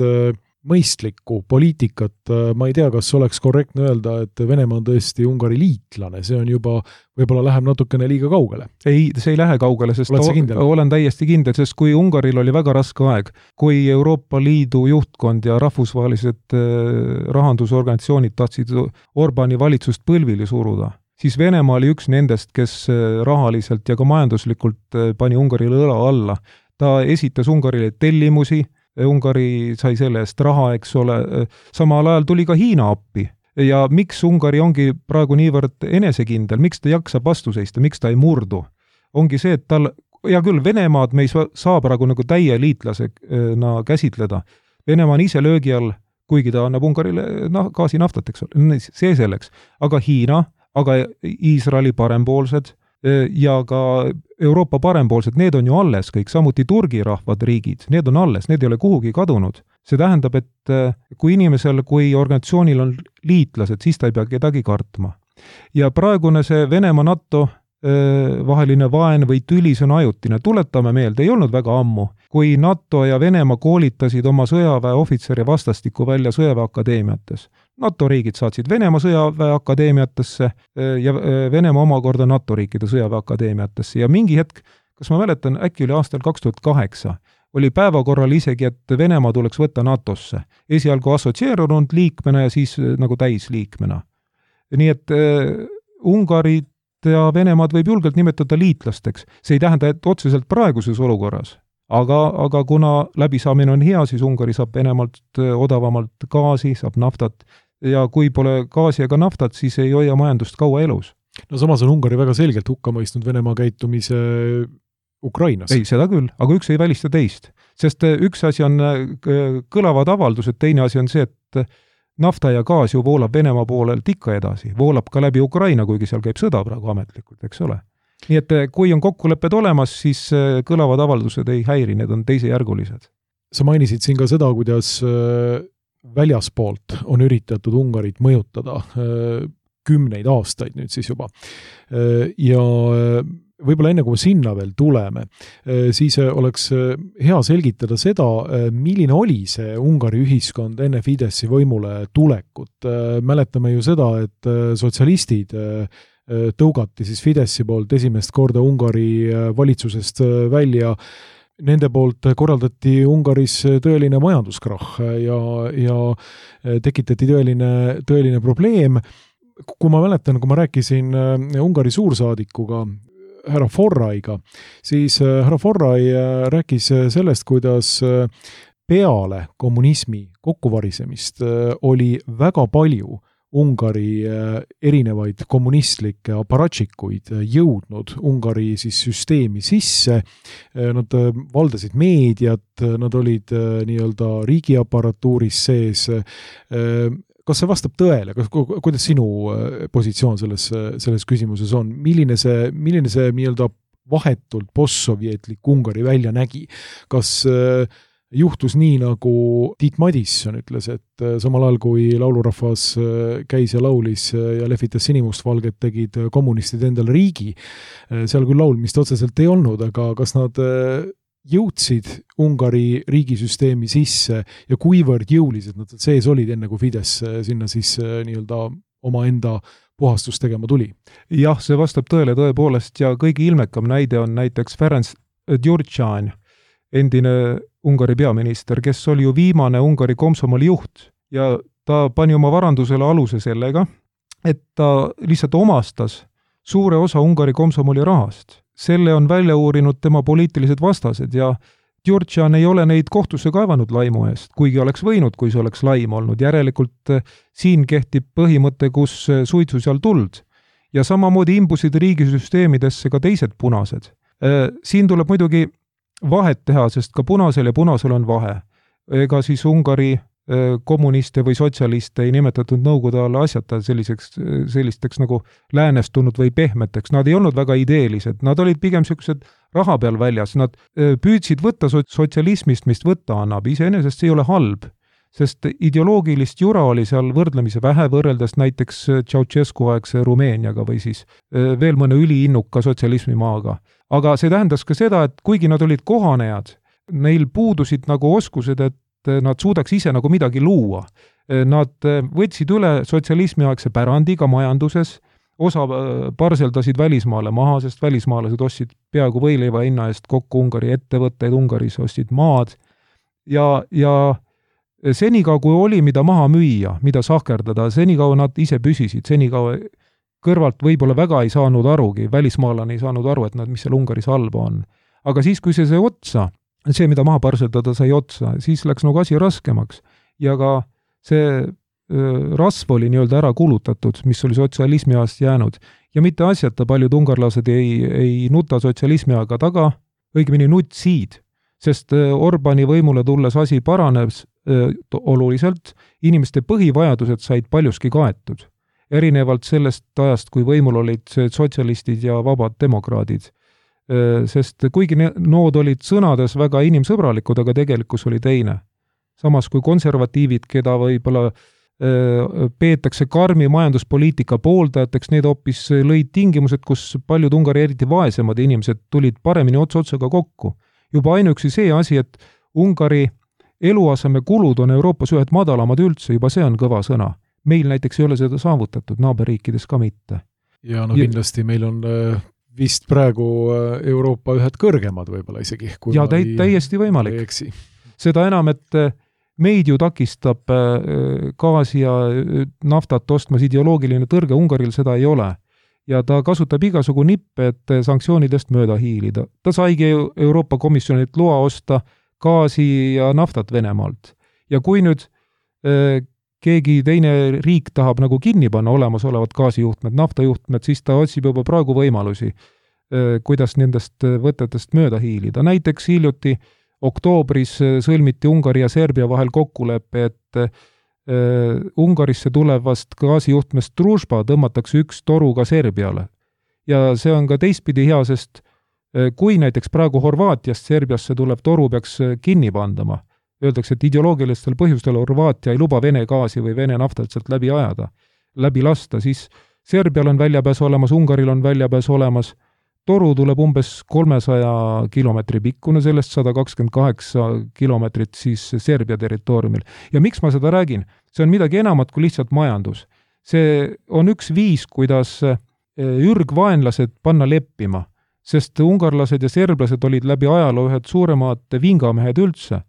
mõistlikku poliitikat. Ma ei tea, kas oleks korrektne öelda, et Venemaa on tõesti Ungari liitlane, see on juba, võib-olla läheb natukene liiga kaugele. Ei, see ei lähe kaugele, sest olen täiesti kindel, sest kui Ungaril oli väga raske aeg, kui Euroopa Liidu juhtkond ja rahvusvahelised rahandusorganisatsioonid tahtsid Orbani valitsust põlvili suruda, siis Venemaa oli üks nendest, kes rahaliselt ja ka majanduslikult pani Ungarile õla alla. Ta esitas Ungarile tellimusi, Ungari sai selle eest raha, eks ole, samal ajal tuli ka Hiina appi. Ja miks Ungari ongi praegu niivõrd enesekindel, miks ta jaksab vastu seista, miks ta ei murdu? Ongi see, et tal, ja küll Venemaad me ei saa praegu nagu täie liitlasena käsitleda. Venemaa on ise löögi all, kuigi ta annab Ungarile gaasi naftat, eks ole, see selleks. Aga Hiina, aga Iisraeli parempoolsed ja ka Euroopa parempoolsed, need on ju alles kõik, samuti Turgi rahvad riigid, need on alles, need ei ole kuhugi kadunud. See tähendab, et kui inimesel, kui organisatsioonil on liitlased, siis ta ei pea kedagi kartma. Ja praegune see Venemaa NATO vaheline vaen või tüli, see on ajutine. Tuletame meelde, ei olnud väga ammu, kui NATO ja Venemaa koolitasid oma sõjaväeohvitseri vastastikku välja sõjaväeakadeemiates. NATO riigid saatsid Venemaa sõjaväeakadeemiatesse ja Venemaa omakorda NATO riikide sõjaväeakadeemiatesse. Ja mingi hetk, kas ma mäletan, äkki oli aastal 2008, oli päevakorral isegi, et Venemaa tuleks võtta NATOsse. Esialgu assotsieerunud liikmena ja siis nagu täisliikmena. Nii et Ungarit ja Venemaad võib julgelt nimetada liitlasteks. See ei tähenda, et otseselt praeguses olukorras. Aga kuna läbisaamine on hea, siis Ungari saab Venemaalt odavamalt gaasi, saab naftat. Ja kui pole gaasi ega naftat, siis ei hoia majandust kaua elus. No samas on Ungari väga selgelt hukka mõistnud Venemaa käitumise Ukrainas. Ei, seda küll, aga üks ei välista teist. Sest üks asi on kõlavad avaldused, teine asi on see, et nafta ja gaas ju voolab Venemaa poolelt ikka edasi. Voolab ka läbi Ukraina, kuigi seal käib sõda praegu ametlikult, eks ole. Nii et kui on kokkulepped olemas, siis kõlavad avaldused ei häiri, need on teisejärgulised. Sa mainisid siin ka seda, kuidas väljaspoolt on üritatud Ungarit mõjutada 10 aastaid nüüd siis juba. Ja võib-olla enne kui sinna veel tuleme, siis oleks hea selgitada seda, milline oli see Ungari ühiskond enne Fideszi võimule tulekut. Mäletame ju seda, et sotsialistid tõugati siis Fidessi poolt esimest korda Ungari valitsusest välja. Nende poolt korraldati Ungaris tõeline majanduskrahh ja tekitati tõeline probleem. Kui ma mäletan, kui ma rääkisin Ungari suursaadikuga, härra Forraiga, siis härra Forrai rääkis sellest, kuidas peale kommunismi kokkuvarisemist oli väga palju Ungari erinevaid kommunistlikke aparatšikuid jõudnud Ungari siis süsteemi sisse. Nad valdasid meediat, nad olid nii-öelda riigiaparatuuris sees. Kas see vastab tõele? Kuidas sinu positsioon selles küsimuses on? Milline see nii-öelda vahetult postsovjetlik Ungari välja nägi? Kas juhtus nii, nagu Tiit Madisson ütles, et samal ajal kui laulurahvas käis ja laulis ja lehvitas sinimustvalget, tegid kommunistid endale riigi. Seal küll laulmist otseselt ei olnud, aga kas nad jõudsid Ungari riigisüsteemi sisse ja kuivõrd jõulised nad sees olid enne, kui Fides sinna siis nii-öelda oma enda puhastust tegema tuli? Jah, see vastab tõele tõepoolest ja kõige ilmekam näide on näiteks Ferenc Gyurcsány, endine Ungari peaminister, kes oli ju viimane Ungari komsomoli juht ja ta pani oma varandusele aluse sellega, et ta lihtsalt omastas suure osa Ungari komsomoli rahast. Selle on välja uurinud tema poliitilised vastased ja Gyurcsány ei ole neid kohtusse kaevanud laimu eest, kuigi oleks võinud, kui see oleks laim olnud. Järelikult siin kehtib põhimõte, kus suitsu seal tuld. Ja samamoodi imbusid riigisüsteemidesse ka teised punased. Siin tuleb muidugi vahet teha, sest ka punasel ja punasel on vahe. Ega siis Ungari kommuniste või sotsialiste ei nimetatud nõukogude alla asjata sellisteks nagu läänestunud või pehmeteks. Nad ei olnud väga ideelised, nad olid pigem sellised raha peal väljas. Nad püüdsid võtta sotsialismist, mis võtta annab. Iseenesest see ei ole halb, sest ideoloogilist jura oli seal võrdlemise vähe võrreldes näiteks Ceausescu aegse Rumeeniaga või siis veel mõne üliinnuka sotsialismimaaga. Aga see tähendas ka seda, et kuigi nad olid kohanejad, neil puudusid nagu oskused, et nad suudaks ise nagu midagi luua. Nad võtsid üle sotsialismiaegse pärandiga majanduses, osa parseldasid välismaale maha, sest välismaalased ostsid peaaegu võileiva hinna eest kokku Ungari ettevõtteid, Ungaris ostsid maad ja senikaua kui oli, mida maha müüa, mida sahkerdada, senikaua nad ise püsisid, senikaua kõrvalt võib-olla väga ei saanud arugi, välismaalane ei saanud aru, et mis seal Ungaris halba on. Aga siis, kui see otsa, see, mida maha parseldada sai otsa, siis läks nagu asi raskemaks. Ja ka see rasv oli nii-öelda ära kulutatud, mis oli sotsialismi ajast jäänud. Ja mitte asjata paljud ungarlased ei nuta sotsialismi aega taga, õigemini nutsid, sest Orbani võimule tulles asi paranes oluliselt, inimeste põhivajadused said paljuski kaetud. Erinevalt sellest ajast, kui võimul olid sotsialistid ja vabad demokraadid. Sest kuigi nood olid sõnades väga inimsõbralikud, aga tegelikkus oli teine. Samas kui konservatiivid, keda võib-olla peetakse karmi majanduspoliitika pooldajateks, need hoopis lõid tingimused, kus paljud Ungari eriti vaesemad inimesed tulid paremini otsaga kokku. Juba ainuüksi see asi, et Ungari eluaseme kulud on Euroopas ühed madalamad üldse, juba see on kõva sõna. Meil näiteks ei ole seda saavutatud, naaberriikides ka mitte. Ja kindlasti meil on vist praegu Euroopa ühed kõrgemad võib-olla isegi. Ja täiesti võimalik. Seda enam, et meid ju takistab gaasi ja naftat ostmas ideoloogiline tõrge, Ungaril seda ei ole. Ja ta kasutab igasugu nippe, et sanktsioonidest mööda hiilida. Ta saigi Euroopa Komisjonilt loa osta gaasi ja naftat Venemaalt. Ja kui nüüd keegi teine riik tahab nagu kinni panna olemasolevad gaasijuhtmed, naftajuhtmed, siis ta otsib juba praegu võimalusi, kuidas nendest võtetest mööda hiilida. Näiteks hiljuti oktoobris sõlmiti Ungari ja Serbia vahel kokkulepe, et Ungarisse tulevast gaasijuhtmest Družba tõmmatakse üks toru ka Serbiale. Ja see on ka teistpidi hea, sest kui näiteks praegu Horvaatiast Serbiasse tulev toru peaks kinni pandama, öeldakse, et ideoloogilistel põhjustel Horvaatia ei luba Vene gaasi või Vene naftat sealt läbi ajada, läbi lasta, siis Serbial on väljapääs olemas, Ungaril on väljapääs olemas, toru tuleb umbes 300 kilomeetri pikkune, sellest 128 kilomeetrit siis Serbia territooriumil. Ja miks ma seda räägin? See on midagi enamat kui lihtsalt majandus. See on üks viis, kuidas ürgvaenlased panna leppima, sest ungarlased ja serblased olid läbi ajaloo ühed suuremad vingamehed üldse.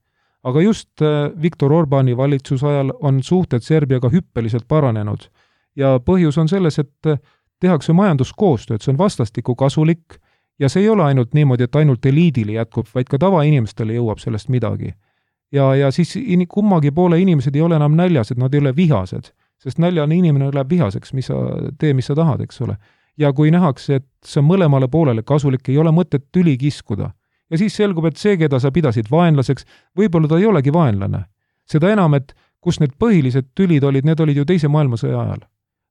Aga just Viktor Orbáni valitsusajal on suhted Serbiaga hüppeliselt paranenud. Ja põhjus on selles, et tehakse majanduskoostööd, see on vastastikku kasulik ja see ei ole ainult niimoodi, et ainult eliidile jätkub, vaid ka tavainimestele jõuab sellest midagi. Ja siis kummagi poole inimesed ei ole enam näljas, et nad ei ole vihased, sest näljane inimene läheb vihaseks, mis sa tahad, eks ole. Ja kui nähakse, et see on mõlemale poolele kasulik, ei ole mõtet tüli kiskuda. Ja siis selgub, et see, keda sa pidasid vaenlaseks, võib-olla ta ei olegi vaenlane. Seda enam, et kus need põhilised tülid olid, need olid ju teise maailmasõja ajal.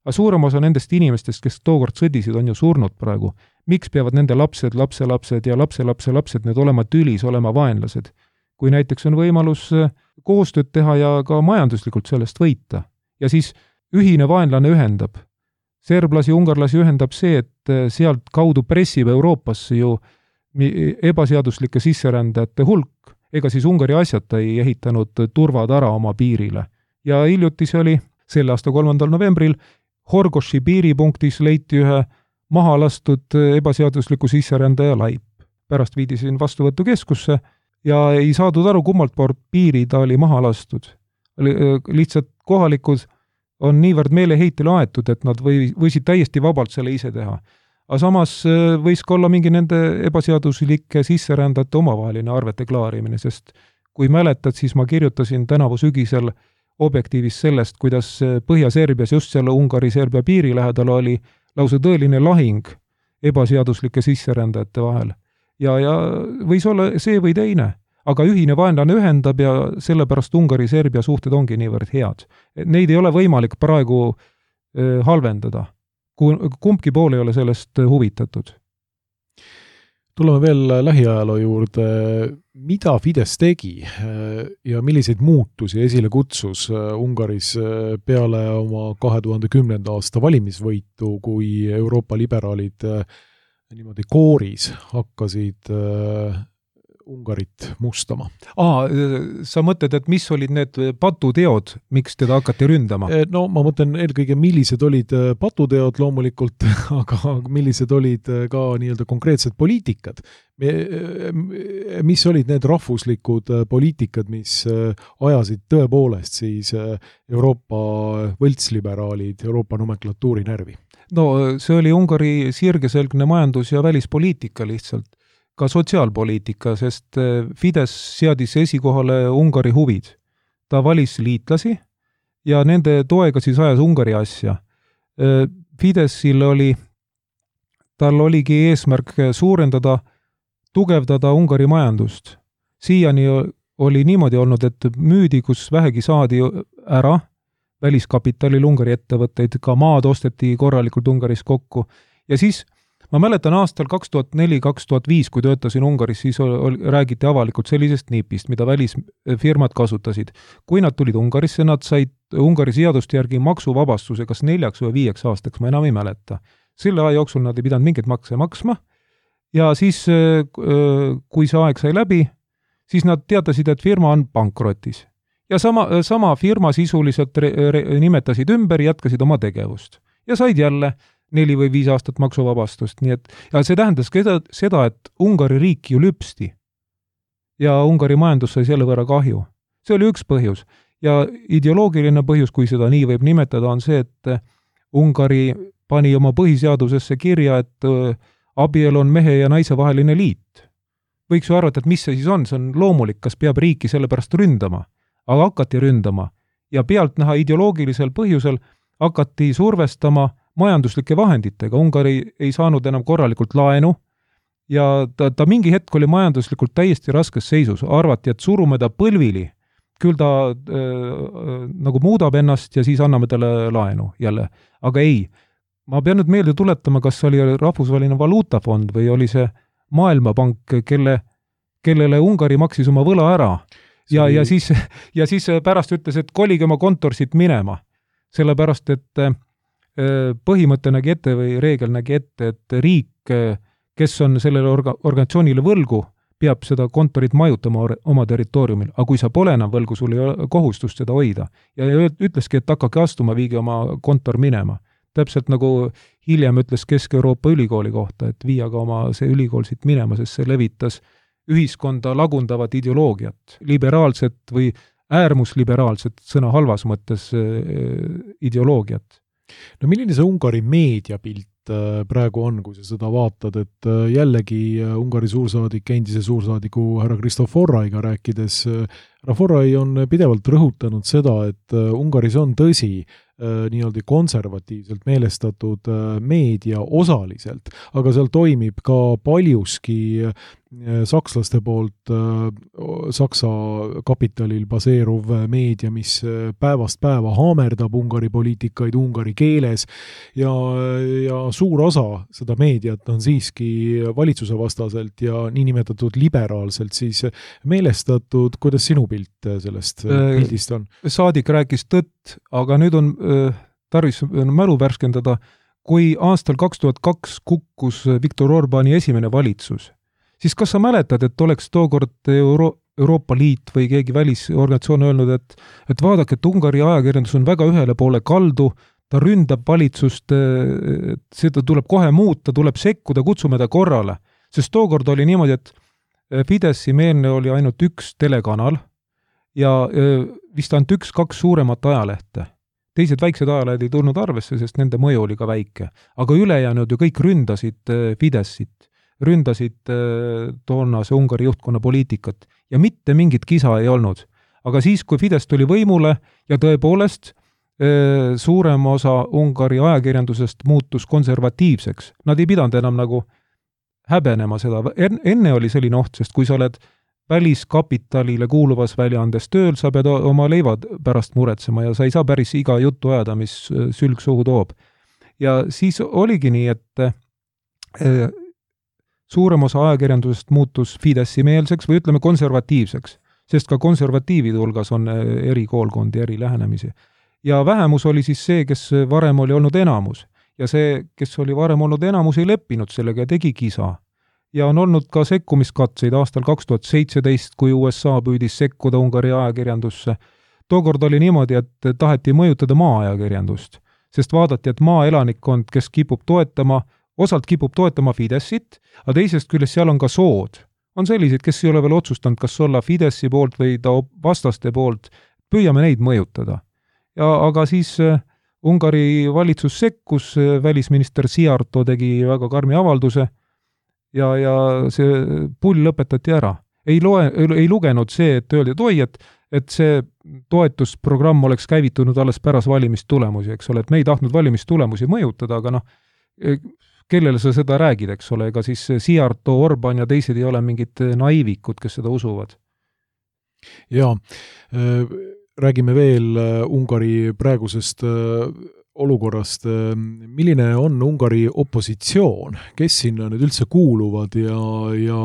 Aga suurem osa nendest inimestest, kes tookord sõdisid, on ju surnud praegu. Miks peavad nende lapsed, lapselapsed ja lapselapselapsed need olema tülis, olema vaenlased? Kui näiteks on võimalus koostööd teha ja ka majanduslikult sellest võita. Ja siis ühine vaenlane ühendab. Serblasi, ungarlasi ühendab see, et sealt kaudu pressib Euroopasse ju ebaseaduslike sisserändajate hulk, ega siis Ungari asjata ei ehitanud turvatara oma piirile. Ja hiljuti see oli selle aasta 3. novembril Horgoši piiripunktis leiti ühe mahalastud ebaseadusliku sisserändaja laip. Pärast viidi siin vastuvõtukeskusse ja ei saadud aru, kummalt poolt piiri ta oli maha lastud. Lihtsalt kohalikud on niivõrd meeleheitele aetud, et nad võisid täiesti vabalt selle ise teha. Aga samas võis ka olla mingi nende ebaseaduslike sisserändajate omavaheline arvete klaarimine, sest kui mäletad, siis ma kirjutasin tänavu sügisel Objektiivis sellest, kuidas Põhja-Serbias just selle Ungari-Serbia piiri lähedal oli lausa tõeline lahing ebaseaduslike sisserändajate vahel. Ja võis olla see või teine, aga ühine vaenlane ühendab ja sellepärast Ungari-Serbia suhted ongi niivõrd head. Neid ei ole võimalik praegu halvendada. Kumbki pool ei ole sellest huvitatud. Tuleme veel lähiajaloo juurde. Mida Fidesz tegi ja milliseid muutusi esile kutsus Ungaris peale oma 2010. aasta valimisvõitu, kui Euroopa liberaalid niimoodi kooris hakkasid Ungarit mustama? Sa mõtled, et mis olid need patuteod, miks teda hakati ründama? No ma mõtlen eelkõige, millised olid patuteod loomulikult, aga millised olid ka nii-öelda konkreetsed poliitikad. Mis olid need rahvuslikud poliitikad, mis ajasid tõepoolest siis Euroopa võltsliberaalid, Euroopa nomenklatuuri närvi? No see oli Ungari sirgeselgne majandus- ja välispoliitika lihtsalt. Ka sotsiaalpoliitika, sest Fidesz seadis esikohale Ungari huvid. Ta valis liitlasi ja nende toega siis ajas Ungari asja. Fideszil tal oligi eesmärk suurendada, tugevdada Ungari majandust. Siiani oli niimoodi olnud, et müüdi, kus vähegi saadi ära, väliskapitalil Ungari ettevõtteid, ka maad osteti korralikult Ungaris kokku ja siis ma mäletan aastal 2004-2005, kui töötasin Ungaris, siis räägiti avalikult sellisest nipist, mida välisfirmad kasutasid. Kui nad tulid Ungarisse, nad said Ungari seaduste järgi maksuvabastuse kas 4 või 5 aastaks, ma enam ei mäleta. Selle aja jooksul nad ei pidanud mingeid makse maksma ja siis, kui see aeg sai läbi, siis nad teatasid, et firma on pankrotis. Ja sama firma sisuliselt nimetasid ümber, jätkasid oma tegevust ja said jälle 4 või 5 aastat maksuvabastust, nii et ja see tähendas seda, et Ungari riik ju lüpsti ja Ungari majandus sai selle võrra kahju. See oli üks põhjus ja ideoloogiline põhjus, kui seda nii võib nimetada, on see, et Ungari pani oma põhiseadusesse kirja, et abielu on mehe ja naise vaheline liit. Võiks ju arvata, et mis see siis on loomulik, kas peab riiki sellepärast ründama, aga hakati ründama ja pealt näha ideoloogilisel põhjusel hakati survestama majanduslike vahenditega. Ungari ei saanud enam korralikult laenu ja ta mingi hetk oli majanduslikult täiesti raskes seisus. Arvati, et surume ta põlvili, küll ta nagu muudab ennast ja siis anname talle laenu jälle. Aga ei, ma pean nüüd meelde tuletama, kas oli Rahvusvaheline Valuutafond või oli see Maailmapank, kellele Ungari maksis oma võla ära ja siis pärast ütles, et kolige oma kontorsit minema, sellepärast, et põhimõte nägi ette või reegel nägi ette, et riik, kes on sellele organisatsioonile võlgu, peab seda kontorit majutama oma territooriumil, aga kui sa pole enam võlgu, sul ei ole kohustust seda hoida. Ja ütleski, et hakake astuma, viige oma kontor minema. Täpselt nagu hiljem ütles Kesk-Euroopa ülikooli kohta, et viia ka oma see ülikool siit minema, sest see levitas ühiskonda lagundavat ideoloogiat, liberaalset või äärmusliberaalset sõna halvas mõttes ideoloogiat. No milline see Ungari meediapilt praegu on, kui sa seda vaatad, et jällegi Ungari suursaadik, endise suursaadiku härra Kristoforaiga rääkides, härra Forrai on pidevalt rõhutanud seda, et Ungaris on tõsi nii-öelda konservatiivselt meelestatud meedia osaliselt, aga seal toimib ka paljuski sakslaste poolt Saksa kapitalil baseeruv meedia, mis päevast päeva haamerdab Ungari poliitikaid ungari keeles ja suur osa seda meediat on siiski valitsuse vastaselt ja niinimetatud liberaalselt siis meelestatud. Kuidas sinu pilt sellest pildist on? Saadik rääkis tõtt, aga nüüd on tarvis mälu värskendada, kui aastal 2002 kukkus Viktor Orbani esimene valitsus, siis kas sa mäletad, et oleks tookord Euroopa Liit või keegi välisorganisatsioon öelnud, et vaadake, et Ungari ajakirjandus on väga ühele poole kaldu, ta ründab valitsust, seda tuleb kohe muuta, tuleb sekkuda, kutsume ta korrale. Sest tookord oli niimoodi, et Fideszi meelne oli ainult üks telekanal ja vist ainult 1-2 suuremat ajalehte. Teised väiksed ajalehed ei tulnud arvesse, sest nende mõju oli ka väike. Aga ülejäänud ju kõik ründasid Fidessit, ründasid toonase Ungari juhtkonna poliitikat ja mitte mingit kisa ei olnud. Aga siis, kui Fidesz tuli võimule ja tõepoolest suurem osa Ungari ajakirjandusest muutus konservatiivseks, nad ei pidanud enam nagu häbenema seda. Enne oli selline oht, sest kui sa oled väliskapitalile kuuluvas väljaandes tööl, sa pead oma leivad pärast muretsema ja sa ei saa päris iga juttu ajada, mis sülg suhu toob. Ja siis oligi nii, et suurem osa ajakirjandusest muutus Fidessi meelseks või ütleme konservatiivseks, sest ka konservatiivide hulgas on eri koolkondi, eri lähenemisi. Ja vähemus oli siis see, kes varem oli olnud enamus. Ja see, kes oli varem olnud enamus, ei leppinud sellega ja tegi kisa. Ja on olnud ka sekkumiskatseid aastal 2017, kui USA püüdis sekkuda Ungari ajakirjandusse. Tookord oli niimoodi, et taheti mõjutada maa-ajakirjandust, sest vaadati, et maaelanikkond, kes kipub toetama, osalt kipub toetama Fidessit, aga teisest küljest seal on ka sood. On sellised, kes ei ole veel otsustanud, kas olla Fidessi poolt või ta vastaste poolt, püüame neid mõjutada. Aga siis Ungari valitsus sekkus, välisminister Siarto tegi väga karmi avalduse ja see pull lõpetati ära. Ei lugenud see, et öeldi, et oi, et see toetusprogramm oleks käivitunud alles pärast valimistulemusi, eks ole, et me ei tahtnud valimistulemusi mõjutada, aga kellele sa seda räägid, eks ole, ega siis Siarto, Orban ja teised ei ole mingid naivikud, kes seda usuvad. Jaa, räägime veel Ungari praegusest olukorrast. Milline on Ungari opositsioon? Kes sinna nüüd üldse kuuluvad ja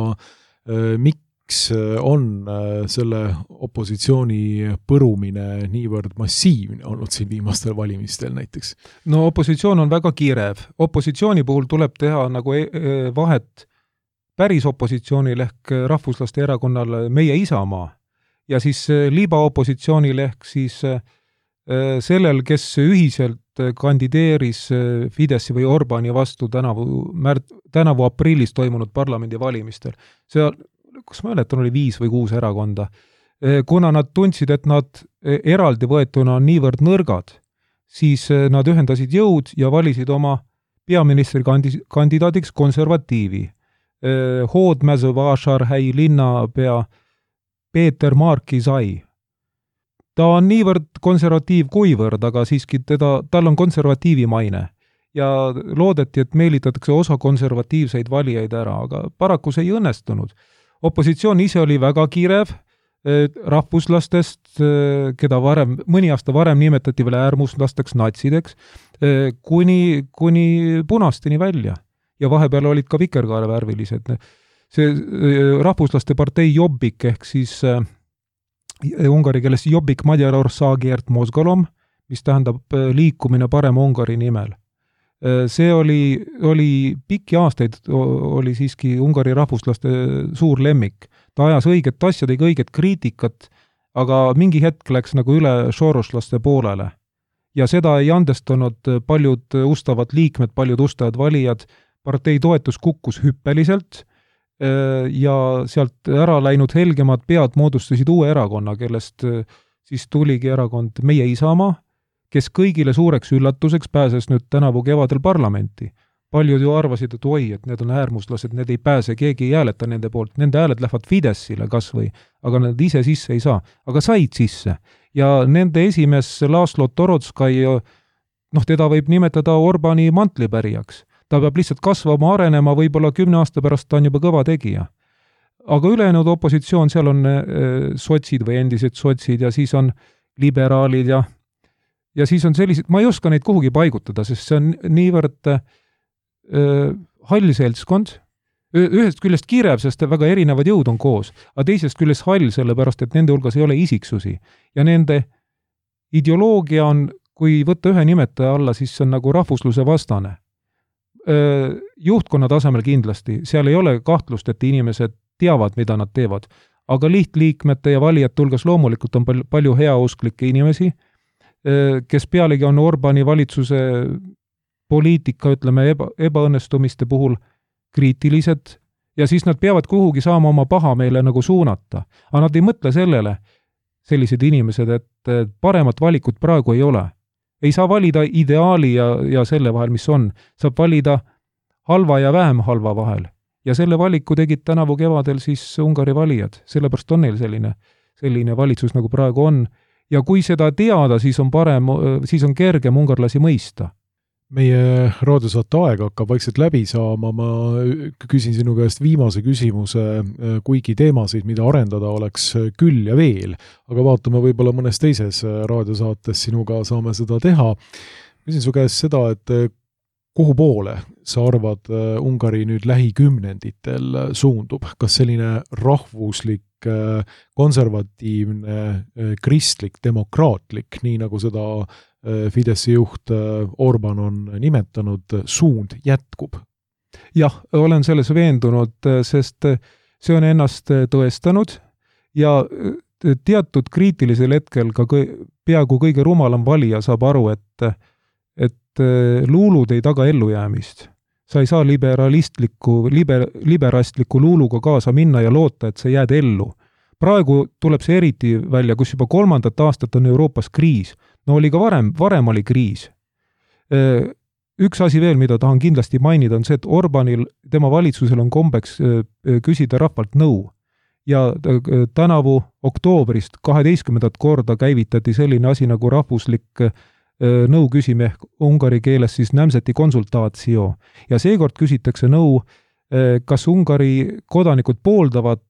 miks on selle opositsiooni põrumine niivõrd massiivne olnud siin viimastel valimistel näiteks? No opositsioon on väga kiirev. Opositsiooni puhul tuleb teha nagu vahet päris opositsioonil ehk rahvuslaste erakonnal Meie Isamaa ja siis libaopositsioonil ehk siis sellel, kes ühiselt kandideeris Fidessi või Orbani vastu tänavu aprillis toimunud parlamendivalimistel. See, kus ma mäletan, oli 5 või 6 erakonda. Kuna nad tundsid, et nad eraldi võetuna on niivõrd nõrgad, siis nad ühendasid jõud ja valisid oma peaministri kandidaadiks konservatiivi. Hoodmäsö-Vašarhäi linnapea Peeter Markizai. Ta on niivõrd konservatiiv kuivõrd, aga siiski tal on konservatiivi maine. Ja loodeti, et meelitatakse osa konservatiivseid valijaid ära, aga paraku see ei õnnestunud. Opositsioon ise oli väga kiirev rahvuslastest, keda mõni aasta varem nimetati veel äärmuslasteks natsideks, kuni punasteni välja. Ja vahepeal olid ka vikerkaarevärvilised. See rahvuslaste partei Jobbik ehk siis ungari keeles Jobbik Magyarországért Mozgalom, mis tähendab liikumine parema Ungari nimel. See oli pikki aastaid, oli siiski Ungari rahvuslaste suur lemmik. Ta ajas õiget asja, tegi õiget kriitikat, aga mingi hetk läks nagu üle soroslaste poolele. Ja seda ei andestanud paljud ustavad liikmed, paljud ustavad valijad, partei toetus kukkus hüppeliselt ja sealt ära läinud helgemad pead moodustasid uue erakonna, kellest siis tuligi erakond Meie Isamaa, kes kõigile suureks üllatuseks pääses nüüd tänavu kevadel parlamenti. Paljud ju arvasid, et oi, et need on äärmuslased, need ei pääse, keegi ei hääleta nende poolt, nende hääled lähevad Fideszile kas või, aga nad ise sisse ei saa. Aga said sisse. Ja nende esimees Laslo Torodskaj, teda võib nimetada Orbani mantlipärijaks. Ta peab lihtsalt kasvama, arenema, võib-olla 10 aasta pärast ta on juba kõva tegija. Aga ülejäänud opositsioon, seal on sotsid või endised sotsid ja siis on liberaalid ja siis on sellised, ma ei oska neid kuhugi paigutada, sest see on niivõrd hall seltskond, ühest küljest kirev, sest väga erinevad jõud on koos, aga teisest küljest hall, sellepärast et nende hulgas ei ole isiksusi. Ja nende ideoloogia on, kui võtta ühe nimetaja alla, siis see on nagu rahvusluse vastane. Juhtkonna tasemel kindlasti, seal ei ole kahtlust, et inimesed teavad, mida nad teevad, aga lihtliikmete ja valijate hulgas loomulikult on palju heausklikke inimesi, kes pealegi on Orbani valitsuse poliitika, ütleme, ebaõnnestumiste puhul kriitilised ja siis nad peavad kuhugi saama oma pahameele nagu suunata. Aga nad ei mõtle sellele, sellised inimesed, et paremat valikut praegu ei ole. Ei saa valida ideaali ja selle vahel, mis on. Saab valida halva ja vähem halva vahel. Ja selle valiku tegid tänavu kevadel siis Ungari valijad. Sellepärast on neil selline valitsus, nagu praegu on. Ja kui seda teada, siis on kergem ungarlasi mõista. Meie raadiosaate aeg hakkab vaikselt läbi saama, ma küsin sinu käest viimase küsimuse, kuigi teemasid, mida arendada oleks küll ja veel, aga vaatame võib-olla mõnes teises raadiosaates sinuga saame seda teha. Küsin su käest seda, et kuhu poole sa arvad Ungari nüüd lähikümnenditel suundub? Kas selline rahvuslik, konservatiivne, kristlik, demokraatlik, nii nagu seda Fideszi juht Orban on nimetanud, suund jätkub? Jah, olen selles veendunud, sest see on ennast tõestanud ja teatud kriitilisel hetkel ka peaaegu kõige rumalam valija saab aru, et luulud ei taga ellujäämist. Sa ei saa liberastliku luuluga kaasa minna ja loota, et sa jääd ellu. Praegu tuleb see eriti välja, kus juba 3. aastat on Euroopas kriis. No oli ka varem oli kriis. Üks asi veel, mida tahan kindlasti mainida, on see, et Orbanil, tema valitsusel on kombeks küsida rahvalt nõu. Ja tänavu oktoobrist 12. korda käivitati selline asi nagu rahvuslik nõu küsime ungari keeles siis nämseti konsultaatio. Ja seekord küsitakse nõu, kas Ungari kodanikud pooldavad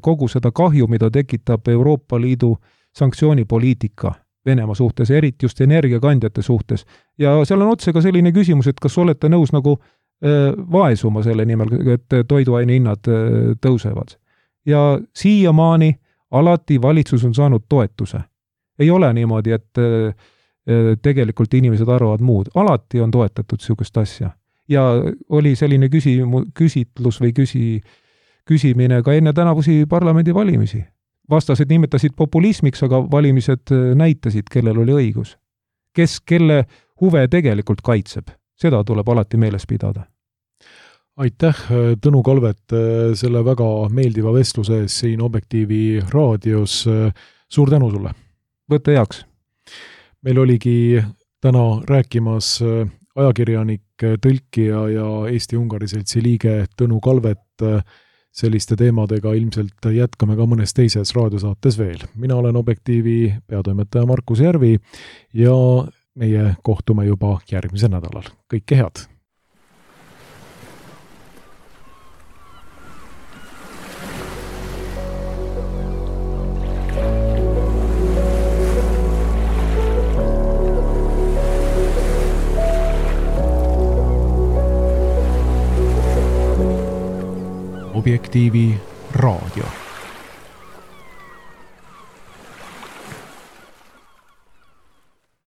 kogu seda kahju, mida tekitab Euroopa Liidu sanktsioonipoliitika Venemaa suhtes, eriti just energiakandjate suhtes. Ja seal on otse ka selline küsimus, et kas olete nõus nagu vaesuma selle nimel, et toiduaine hinnad tõusevad. Ja siiamaani alati valitsus on saanud toetuse. Ei ole niimoodi, et tegelikult inimesed arvavad muud. Alati on toetatud sihukest asja. Ja oli selline küsitlus või küsimine ka enne tänavusi parlamendi valimisi. Vastased nimetasid populismiks, aga valimised näitasid, kellel oli õigus. Kes kelle huve tegelikult kaitseb. Seda tuleb alati meeles pidada. Aitäh, Tõnu Kalvet, selle väga meeldiva vestluse ees siin Objektiivi raadios. Suur tänu sulle! Võtte heaks! Meil oligi täna rääkimas ajakirjanik, tõlkija ja Eesti-Ungari seltsi liige Tõnu Kalvet. Selliste teemadega ilmselt jätkame ka mõnes teises raadiosaates veel. Mina olen Objektiivi peatoimetaja Markus Järvi ja meie kohtume juba järgmisel nädalal. Kõike head! Objektiivi raadio.